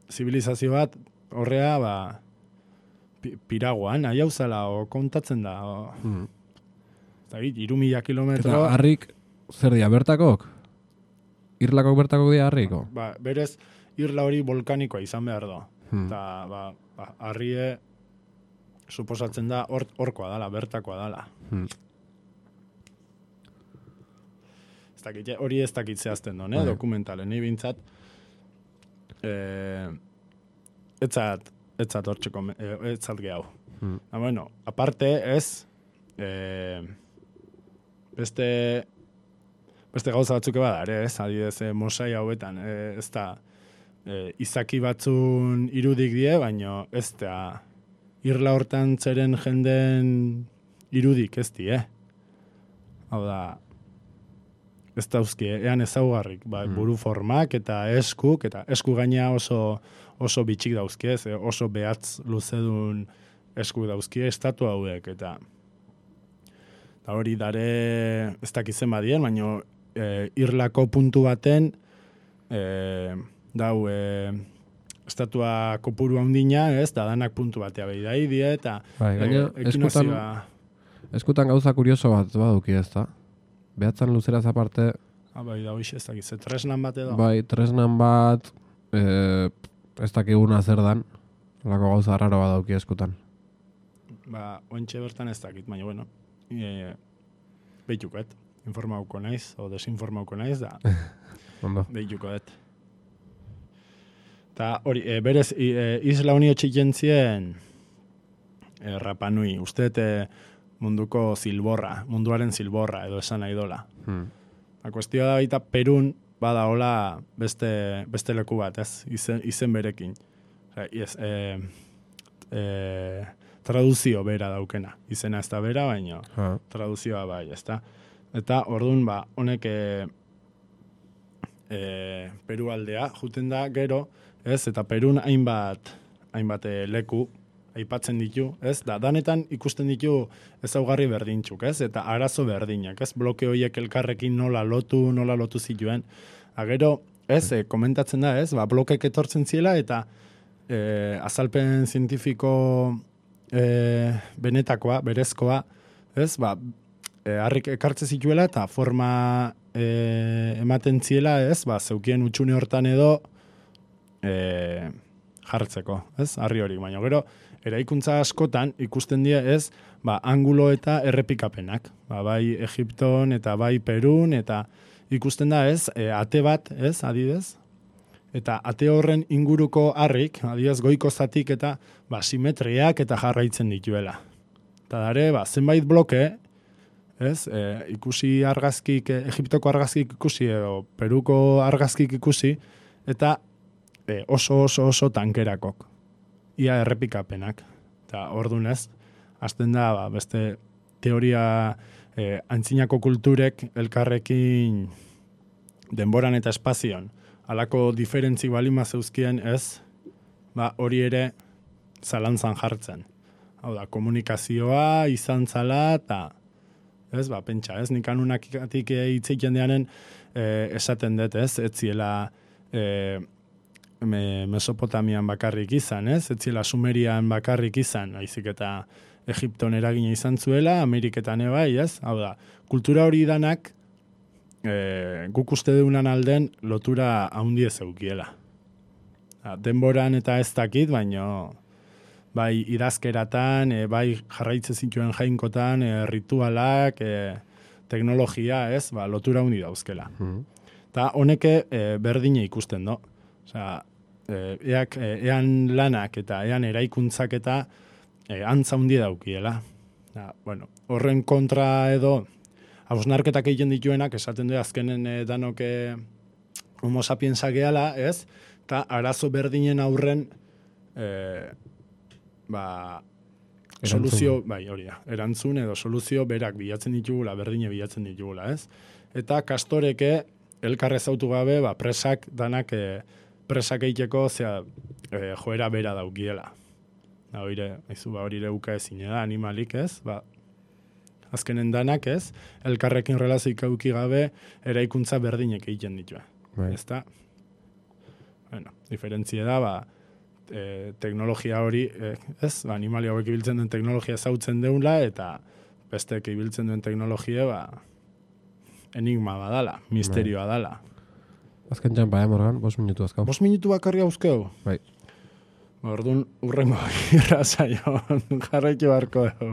zibilizazio bat, horrea, piraguan, nahi hau zela, kontatzen da, 3.000 kilometro... Eta harrik, zer dia, bertakok? Irlakok bertakok dia harriko? Berez, irla hori volkanikoa izan behar da. Eta, harrie, suposatzen da, horkoa dala, bertakoa dala. Hori ez dakit zehazten duen, dokumentalen, ni bintzat, etzat hortxeko, etzat gehau. Aparte ez, beste gauza batzuk bada, ez, adidez, Mosai hauetan, ez da, izaki batzun irudik die, baino ez da, irla hortan zeren jenden irudik ez die, hau da, ez dauzki, ean ezaugarrik, buru formak eta esku gaina oso bitxik dauzki, oso behatz luzedun esku dauzki, estatu hauek, eta hori dare ez dakizen badien, baina irlako puntu baten dau estatua kopuru handina, ez, da danak puntu batea behi da idie, eta eskutan gauza kurioso bat baduki ez da. Behatzan luzeraz aparte... Bai, da hoxe ez dakiz, tresnan bat edo? Bai, tresnan bat, ez dakiguna zer dan, lako gauza raro bat dauki eskutan. Ointxe bertan ez dakit, baina, behituko, informauko naiz, o desinformauko naiz, da behituko, Eta hori, berez, Isla Unio txikentzien Rapa Nui, usteet munduko zilborra, munduaren zilborra, edo esan nahi dola. Kuestioa da baita Perun badaola beste leku bat, ez? Izen berekin. Traduzio bera daukena. Izena ez da bera, baina traduzioa bai, ez da. Eta orduan, honek Peru aldea, juten da gero, ez? Eta Perun hainbat leku, aipatzen ditu, ez? Da, danetan ikusten ditu ezaugarri berdintxuk, ez? Eta arazo berdinak, ez? Bloke horiek elkarrekin nola lotu zituen. Agero, ez, komentatzen da, ez? Ba, blokek etortzen ziela eta azalpen zientifiko benetakoa, berezkoa, ez? Ba, harrik ekartze zituela eta forma ematen ziela, ez? Ba, zeukien utxune hortan edo jartzeko, ez? Harri hori, baina gero, eraikuntza askotan ikusten dira, ez? Ba, angulo eta errepikapenak. Ba, bai Egipton eta bai Perun eta ikusten da, ez? Ate bat, ez? Adidez? Eta ate horren inguruko harrik, adidez goiko zatik eta ba, simetriak eta jarraitzen dituela. Eta dare, ba, zenbait bloke, ez? Ikusi argazkik, Egiptoko argazkik ikusi edo Peruko argazkik ikusi, eta oso tankerakok. Ia errepikapenak. Eta ordunez, hasten da, ba, beste teoria antzinako kulturek elkarrekin denboran eta espazion halako diferentzi balima zeuzkien, ez? Ba, hori ere zalantzan jartzen. Hau da, komunikazioa izan zala eta ez, ba, pentsa, ez? Nik anunakatik hitzeiten deanen esaten dut, ez? Etziela Mesopotamian bakarrik izan, ez? Etziela Sumerian bakarrik izan, haizik eta Egipton eragina izan zuela, Ameriketan ebai, ez? Hau da, kultura hori danak guk uste deunan alden lotura haundie zeukiela. Denboran eta ez dakit, baino bai idazkeratan, bai jarraitze zituen jainkotan, ritualak, teknologia, ez? Ba, lotura haundi dauzkela. Eta honeke berdine ikusten, no? Osea, ean lanak eta ean eraikuntzak eta antza hundi daukiela. Bueno, horren kontra edo hausnarketak egiten dituenak, esaten du azkenen danok homo sapiensak gehala, ez? Eta arazo berdinen aurren soluzio, bai, hori da, erantzun edo soluzio berak bilatzen ditugula, berdine bilatzen ditugula, ez? Eta kastoreke elkarrez autu gabe, ba, presak danak presak egiteko joera bera daukiela. Hori ere uka ezin da, animalik, ez? Ba, azkenen danak, ez? Elkarrekin relazioik auki gabe eraikuntza berdinek egiten ditua. Bai. Ezta? Bueno, diferentzia da, ba, teknologia hori, ez? Ba, animali hauek ibiltzen duen teknologia zautzen deula, eta bestek ibiltzen duen teknologia, ba, enigma badala, misterioa dala. Azken txampa, Morgan? 5 minutu azkau. 5 minutu bakarri hauzkeu? Bai. Orduan, urrengo irrazaio jarraitu barko dugu.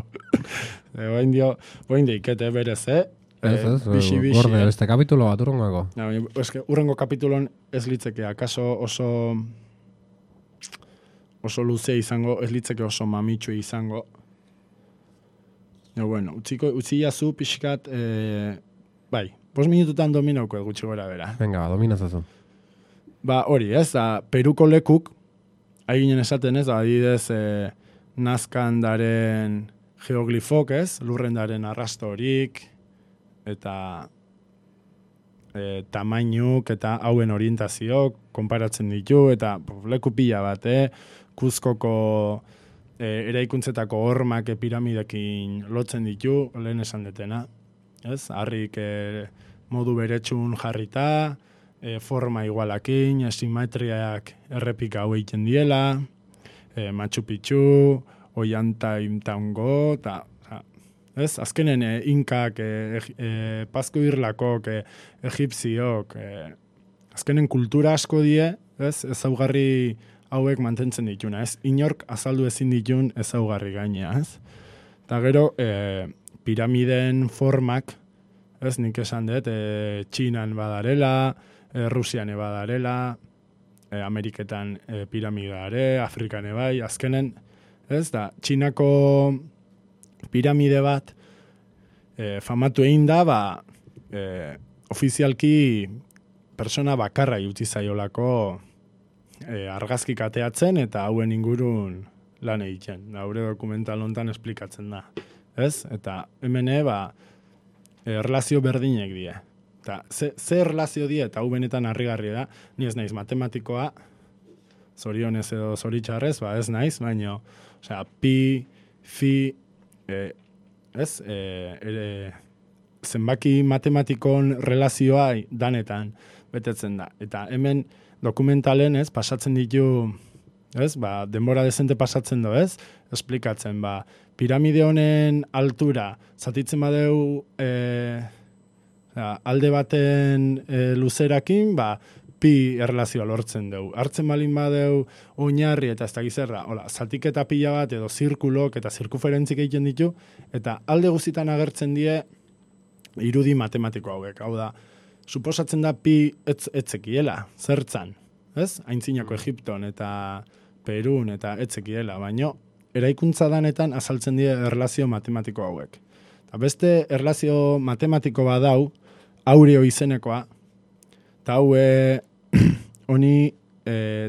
Boin dio ikete berez, Ez, bixi. Gorde, beste kapitulo bat urrengako. Urrengo kapitulon ez litzeke, akaso oso luze izango, ez litzeke oso mamitsu izango. Bueno, utzi jazu pixkat, bai, 5 minututan dominauko gutxi gora bera. Venga, dominazazu. Ba, hori, ez, Peruko lekuk, haiginen esaten ez, adidez nazkandaren geoglifok, ez, lurrendaren arrastorik, eta tamainuk eta hauen orientazioak konparatzen ditu, eta leku pila bat, Kuzkoko eraikuntzetako hormak piramidekin lotzen ditu, lehen esan detena, ez, harrik modu beretsun jarrita, forma igualakin, simetriak errepika hau egiten diela, Machu Picchu, Ollantaytambo, eta ez, azkenen inkak, Pazko Irlakok, egipziok, azkenen kultura asko die, ez, ezaugarri hauek mantentzen dituna, ez, inork azaldu ezin ditun ezaugarri gainea, ez. Eta gero, piramiden formak, ez, nik esan dut, Txinan badarela, Rusian badarela, Ameriketan piramidare, Afrikan bai, azkenen, ez da, Txinako piramide bat famatu egin da, ba, ofizialki persona bakarra utzi zaiolako argazkik ateatzen eta hauen ingurun lan egiten. Haure dokumental hontan esplikatzen da. Ez? Eta hemen erlazio berdinek die. Eta ze erlazio die eta hau benetan harrigarria da, ni ez naiz matematikoa, zorionez edo zoritxarrez, ez naiz, baina, pi, fi, zenbaki matematikon relazioa danetan betetzen da. Eta hemen dokumentalen, pasatzen ditu, denbora dezente pasatzen do, esplikatzen, piramide honen altura, zatitzen badeu alde baten luzerakin, pi erlazioa lortzen dugu. Hartzen balin badeu oinarri eta ez da gizerra, zatiketa pila bat edo zirkulok eta zirkuferentzik egiten ditu, eta alde guztitan agertzen die irudi matematiko hauek. Hau da, suposatzen da pi etzekiela, zertzan, Aintzinako Egipton eta Perun eta etzekiela, baino eraikuntza danetan azaltzen die erlazio matematiko hauek. Eta beste erlazio matematiko badau, Aureo izenekoa, eta hau honi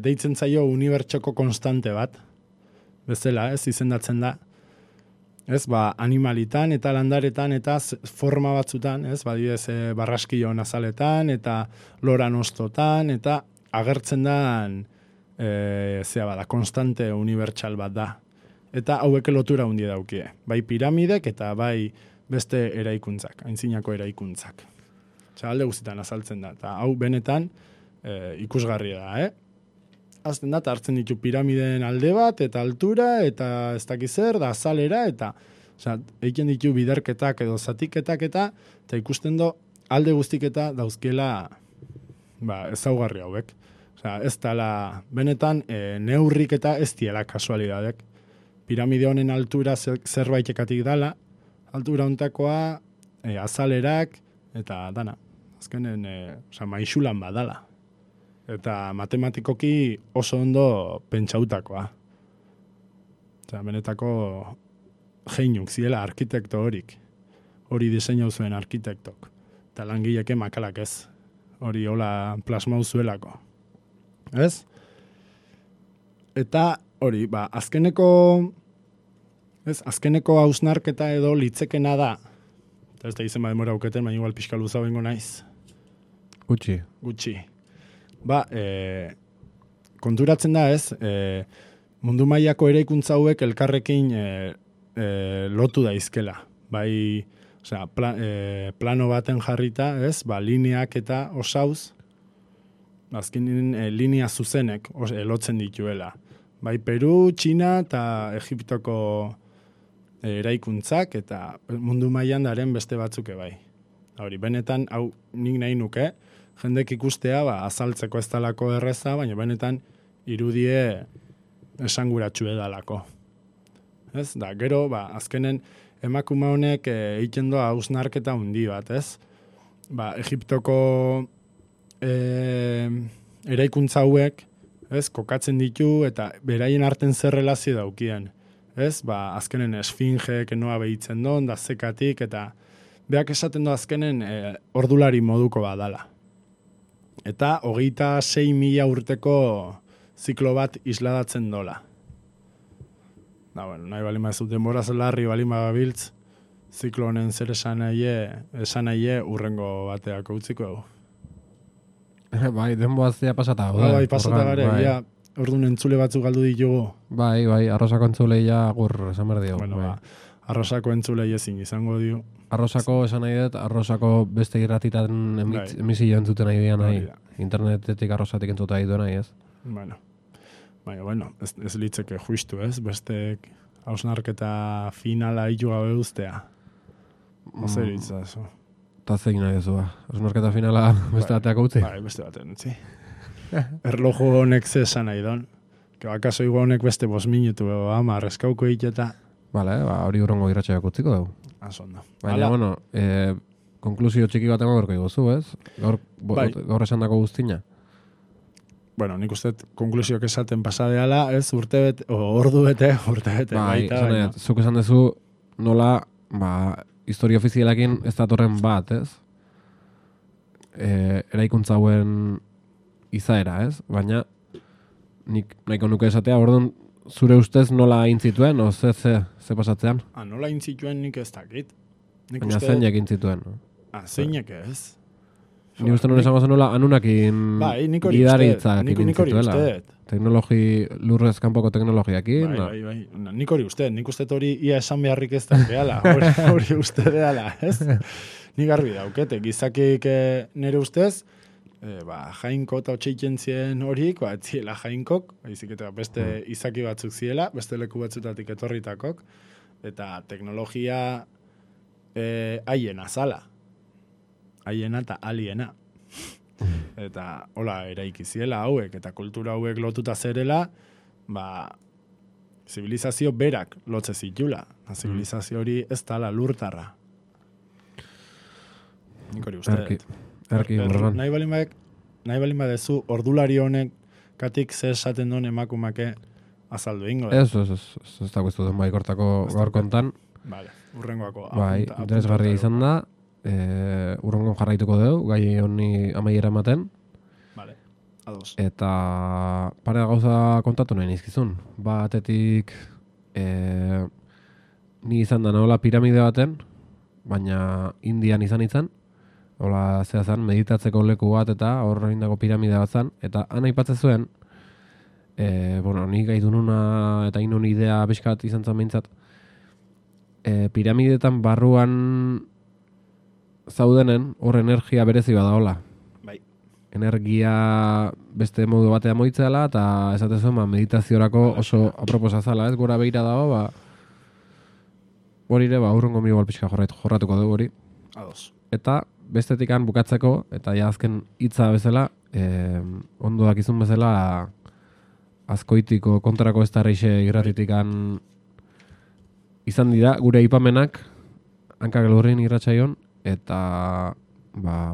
deitzen zaio unibertsoko konstante bat, bezala, izendatzen da, animalitan eta landaretan eta forma batzutan, badidez barraskilo nazaletan eta loran ostotan, eta agertzen da konstante unibertsal bat da. Eta hauek lotura hundi daukie. Bai piramidek eta bai beste eraikuntzak, aintzinako eraikuntzak. Alde guztietan azaltzen da. Eta hau benetan ikusgarria da, Azten da, hartzen ditu piramideen alde bat, eta altura, eta ez dakiz zer, da azalera, eta egiten ditu biderketak edo zatiketak eta ikusten do alde guztiketa dauzkiela ezaugarri hauek. Ez dela, benetan, neurrik eta ez diela kasualidadek. Piramide honen altura zerbaitekatik dala, altura hontakoa, azalerak, eta dana. Azkenen, maixulan badala. Eta matematikoki oso ondo pentsautakoa. Benetako geinuk ziela arkitekto horik. Hori diseinau zuen arkitektok. Eta langileke makalak ez. Hori hola plasmau zuelako. Ez? Eta hori, azkeneko hausnarketa edo litzekena da. Eta ez da izen demora auketen, baina igual pixka luza bengo naiz. Gutxi. Konturatzen da mundu mailako eraikuntza hauek elkarrekin lotu daizkela. Bai, plano baten jarrita, lineak eta osauz, azkenin linea zuzenek lotzen dituela. Bai, Peru, Txina eta Egiptoko eraikuntzak eta mundu mailan daren beste batzuke bai. Hori, benetan, hau nik nahi nuke, jendek ikustea, azaltzeko ez dalako erreza, baina benetan irudie esanguratxu edalako. Da, gero, azkenen emakume honek egiten doa hausnarketa hundi bat, Egiptoko eraikuntza hauek, kokatzen ditu eta beraien arten zer relazio daukien. Azkenen esfingeek noa behitzen don, da zekatik, eta beak esaten do azkenen ordulari moduko badala. Eta 26.000 urteko ziklo bat isladatzen dola. Nahi balima ez duten boraz larri balima babiltz, ziklo honen zer esan nahi urrengo bateak utziko dugu. Bai, denboazia pasata. Bai, pasata gare, orduan entzule batzuk galdu ditugu. Bai, arrosako entzulei gur esan behar dio. Bueno, arrosako entzulei ezin izango dio. Arrosako esan nahi dut, arrosako beste irratitan emisio entzuten nahi dian nahi. Internetetik arrosatik entzuta nahi du nahi, ez? Bueno, ez litzeke justu, ez? Beste hausnarketa finala hitu gabe ustea. Zer itzazu. Eta zein nahi ez hausnarketa finala beste bateak utzi? Bai, beste bateak utzi. Erloju honek ze esan nahi don. Akaso igual honek beste 5 minutu, eskauko egiteta. Bale, hori urrongo irratxeak utziko dugu. Asondo. Baina, bueno, konklusio txiki bat emango igozu, ez? Gaur esan dako guztina. Bueno, nik uste konklusioak esaten pasadeala, ez? Ordu bete. Bai, zuk esan dezu nola, historia ofizialakin ez datorren bat, ez? Eraikuntza hauen izaera, ez? Baina, nik nahiko nuke esatea, orduan, zure ustez nola intzituen, o ze pasatzean? Nola intzituen nik ez dakit. Baina zeinak intzituen. Zeinak ez. Ni uste non esango zen nola anunakin gidaritzak intzituela. lurrez kanpoko teknologiakin. Bai. Nik uste hori ia esan beharrik ez da behala. Hori uste behala, ez? Nik garbi daukete, gizakik nire ustez, jainko eta otxeiken zien horik, etziela jainkok, baizik eta beste izaki batzuk ziela, beste leku batzutatik etorritakok, eta teknologia haiena zala. Haiena eta aliena. Eta hola eraiki ziela hauek, eta kultura hauek lotuta zerela, zibilizazio berak lotze zitula. Zibilizazio hori ez dala lurtarra. Nik hori uste. Nahi balin badezu, ordulari honek katik zer esaten duen emakumake azaldu ingo. Ez da guztu den baikortako gaur kontan. Vale, urrengoako. Interesgarria izan da, urrengon jarraituko dugu, gai honi amaiera ematen. Vale, ados. Eta pare gauza kontatu nahi nizkizun. Batetik, ni izan da nola piramide baten, baina Indian izan. Hola, zehazan, meditatzeko leku bat eta horre indako piramide bat zan. Eta han aipatzen zuen, ni gai dununa eta inun idea beskat izan zan behintzat, piramidetan barruan zaudenen hor energia berezi badaola. Bai. Energia beste modu batea moitzeala eta esaten zuen meditaziorako oso aproposa zala, ez? Gora behira dago, hori ere, urrengo migo alpizka jorratuko dugu hori. Ados. Eta bestetikan bukatzeko, eta ja azken hitza bezala, ondo dakizun bezala, Azkoitiko kontrako ez tarrixe irratitikan izan dira, gure aipamenak, hankak lurrin irratxaion, eta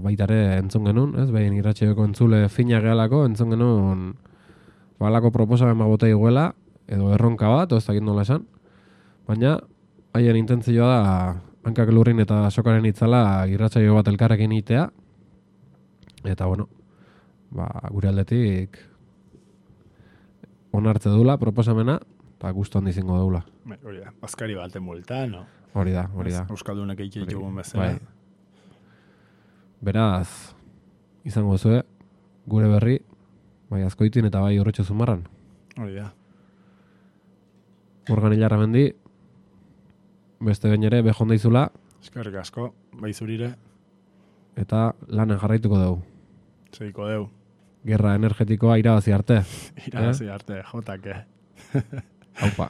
baitare entzun genuen, ez? Behin irratxaioko entzule fina gehalako, entzun genuen balako proposamen botei guela, edo erronka bat, ez dakit nola esan, baina haien intentzioa da hankak lurrin eta sokaren itzala irratsaio bat elkarrekin itea. Eta gure aldetik onartze dula proposamena, eta gustu handi izango dula. Hori da, bazkari baten multa, no? Hori da. Euskaldunak eitxeitugun bezala. Beraz, izango zue, gure berri, bai Azkoitin eta bai Urretxo Zumarran. Hori da. Urgan hilarra mendi, beste behin ere, behonda izula. Eskerrik asko, bai zurire. Eta lanen jarraituko dugu. Segiko dugu. Gerra energetikoa irabazi arte. Irabazi arte, jotake. Haupa.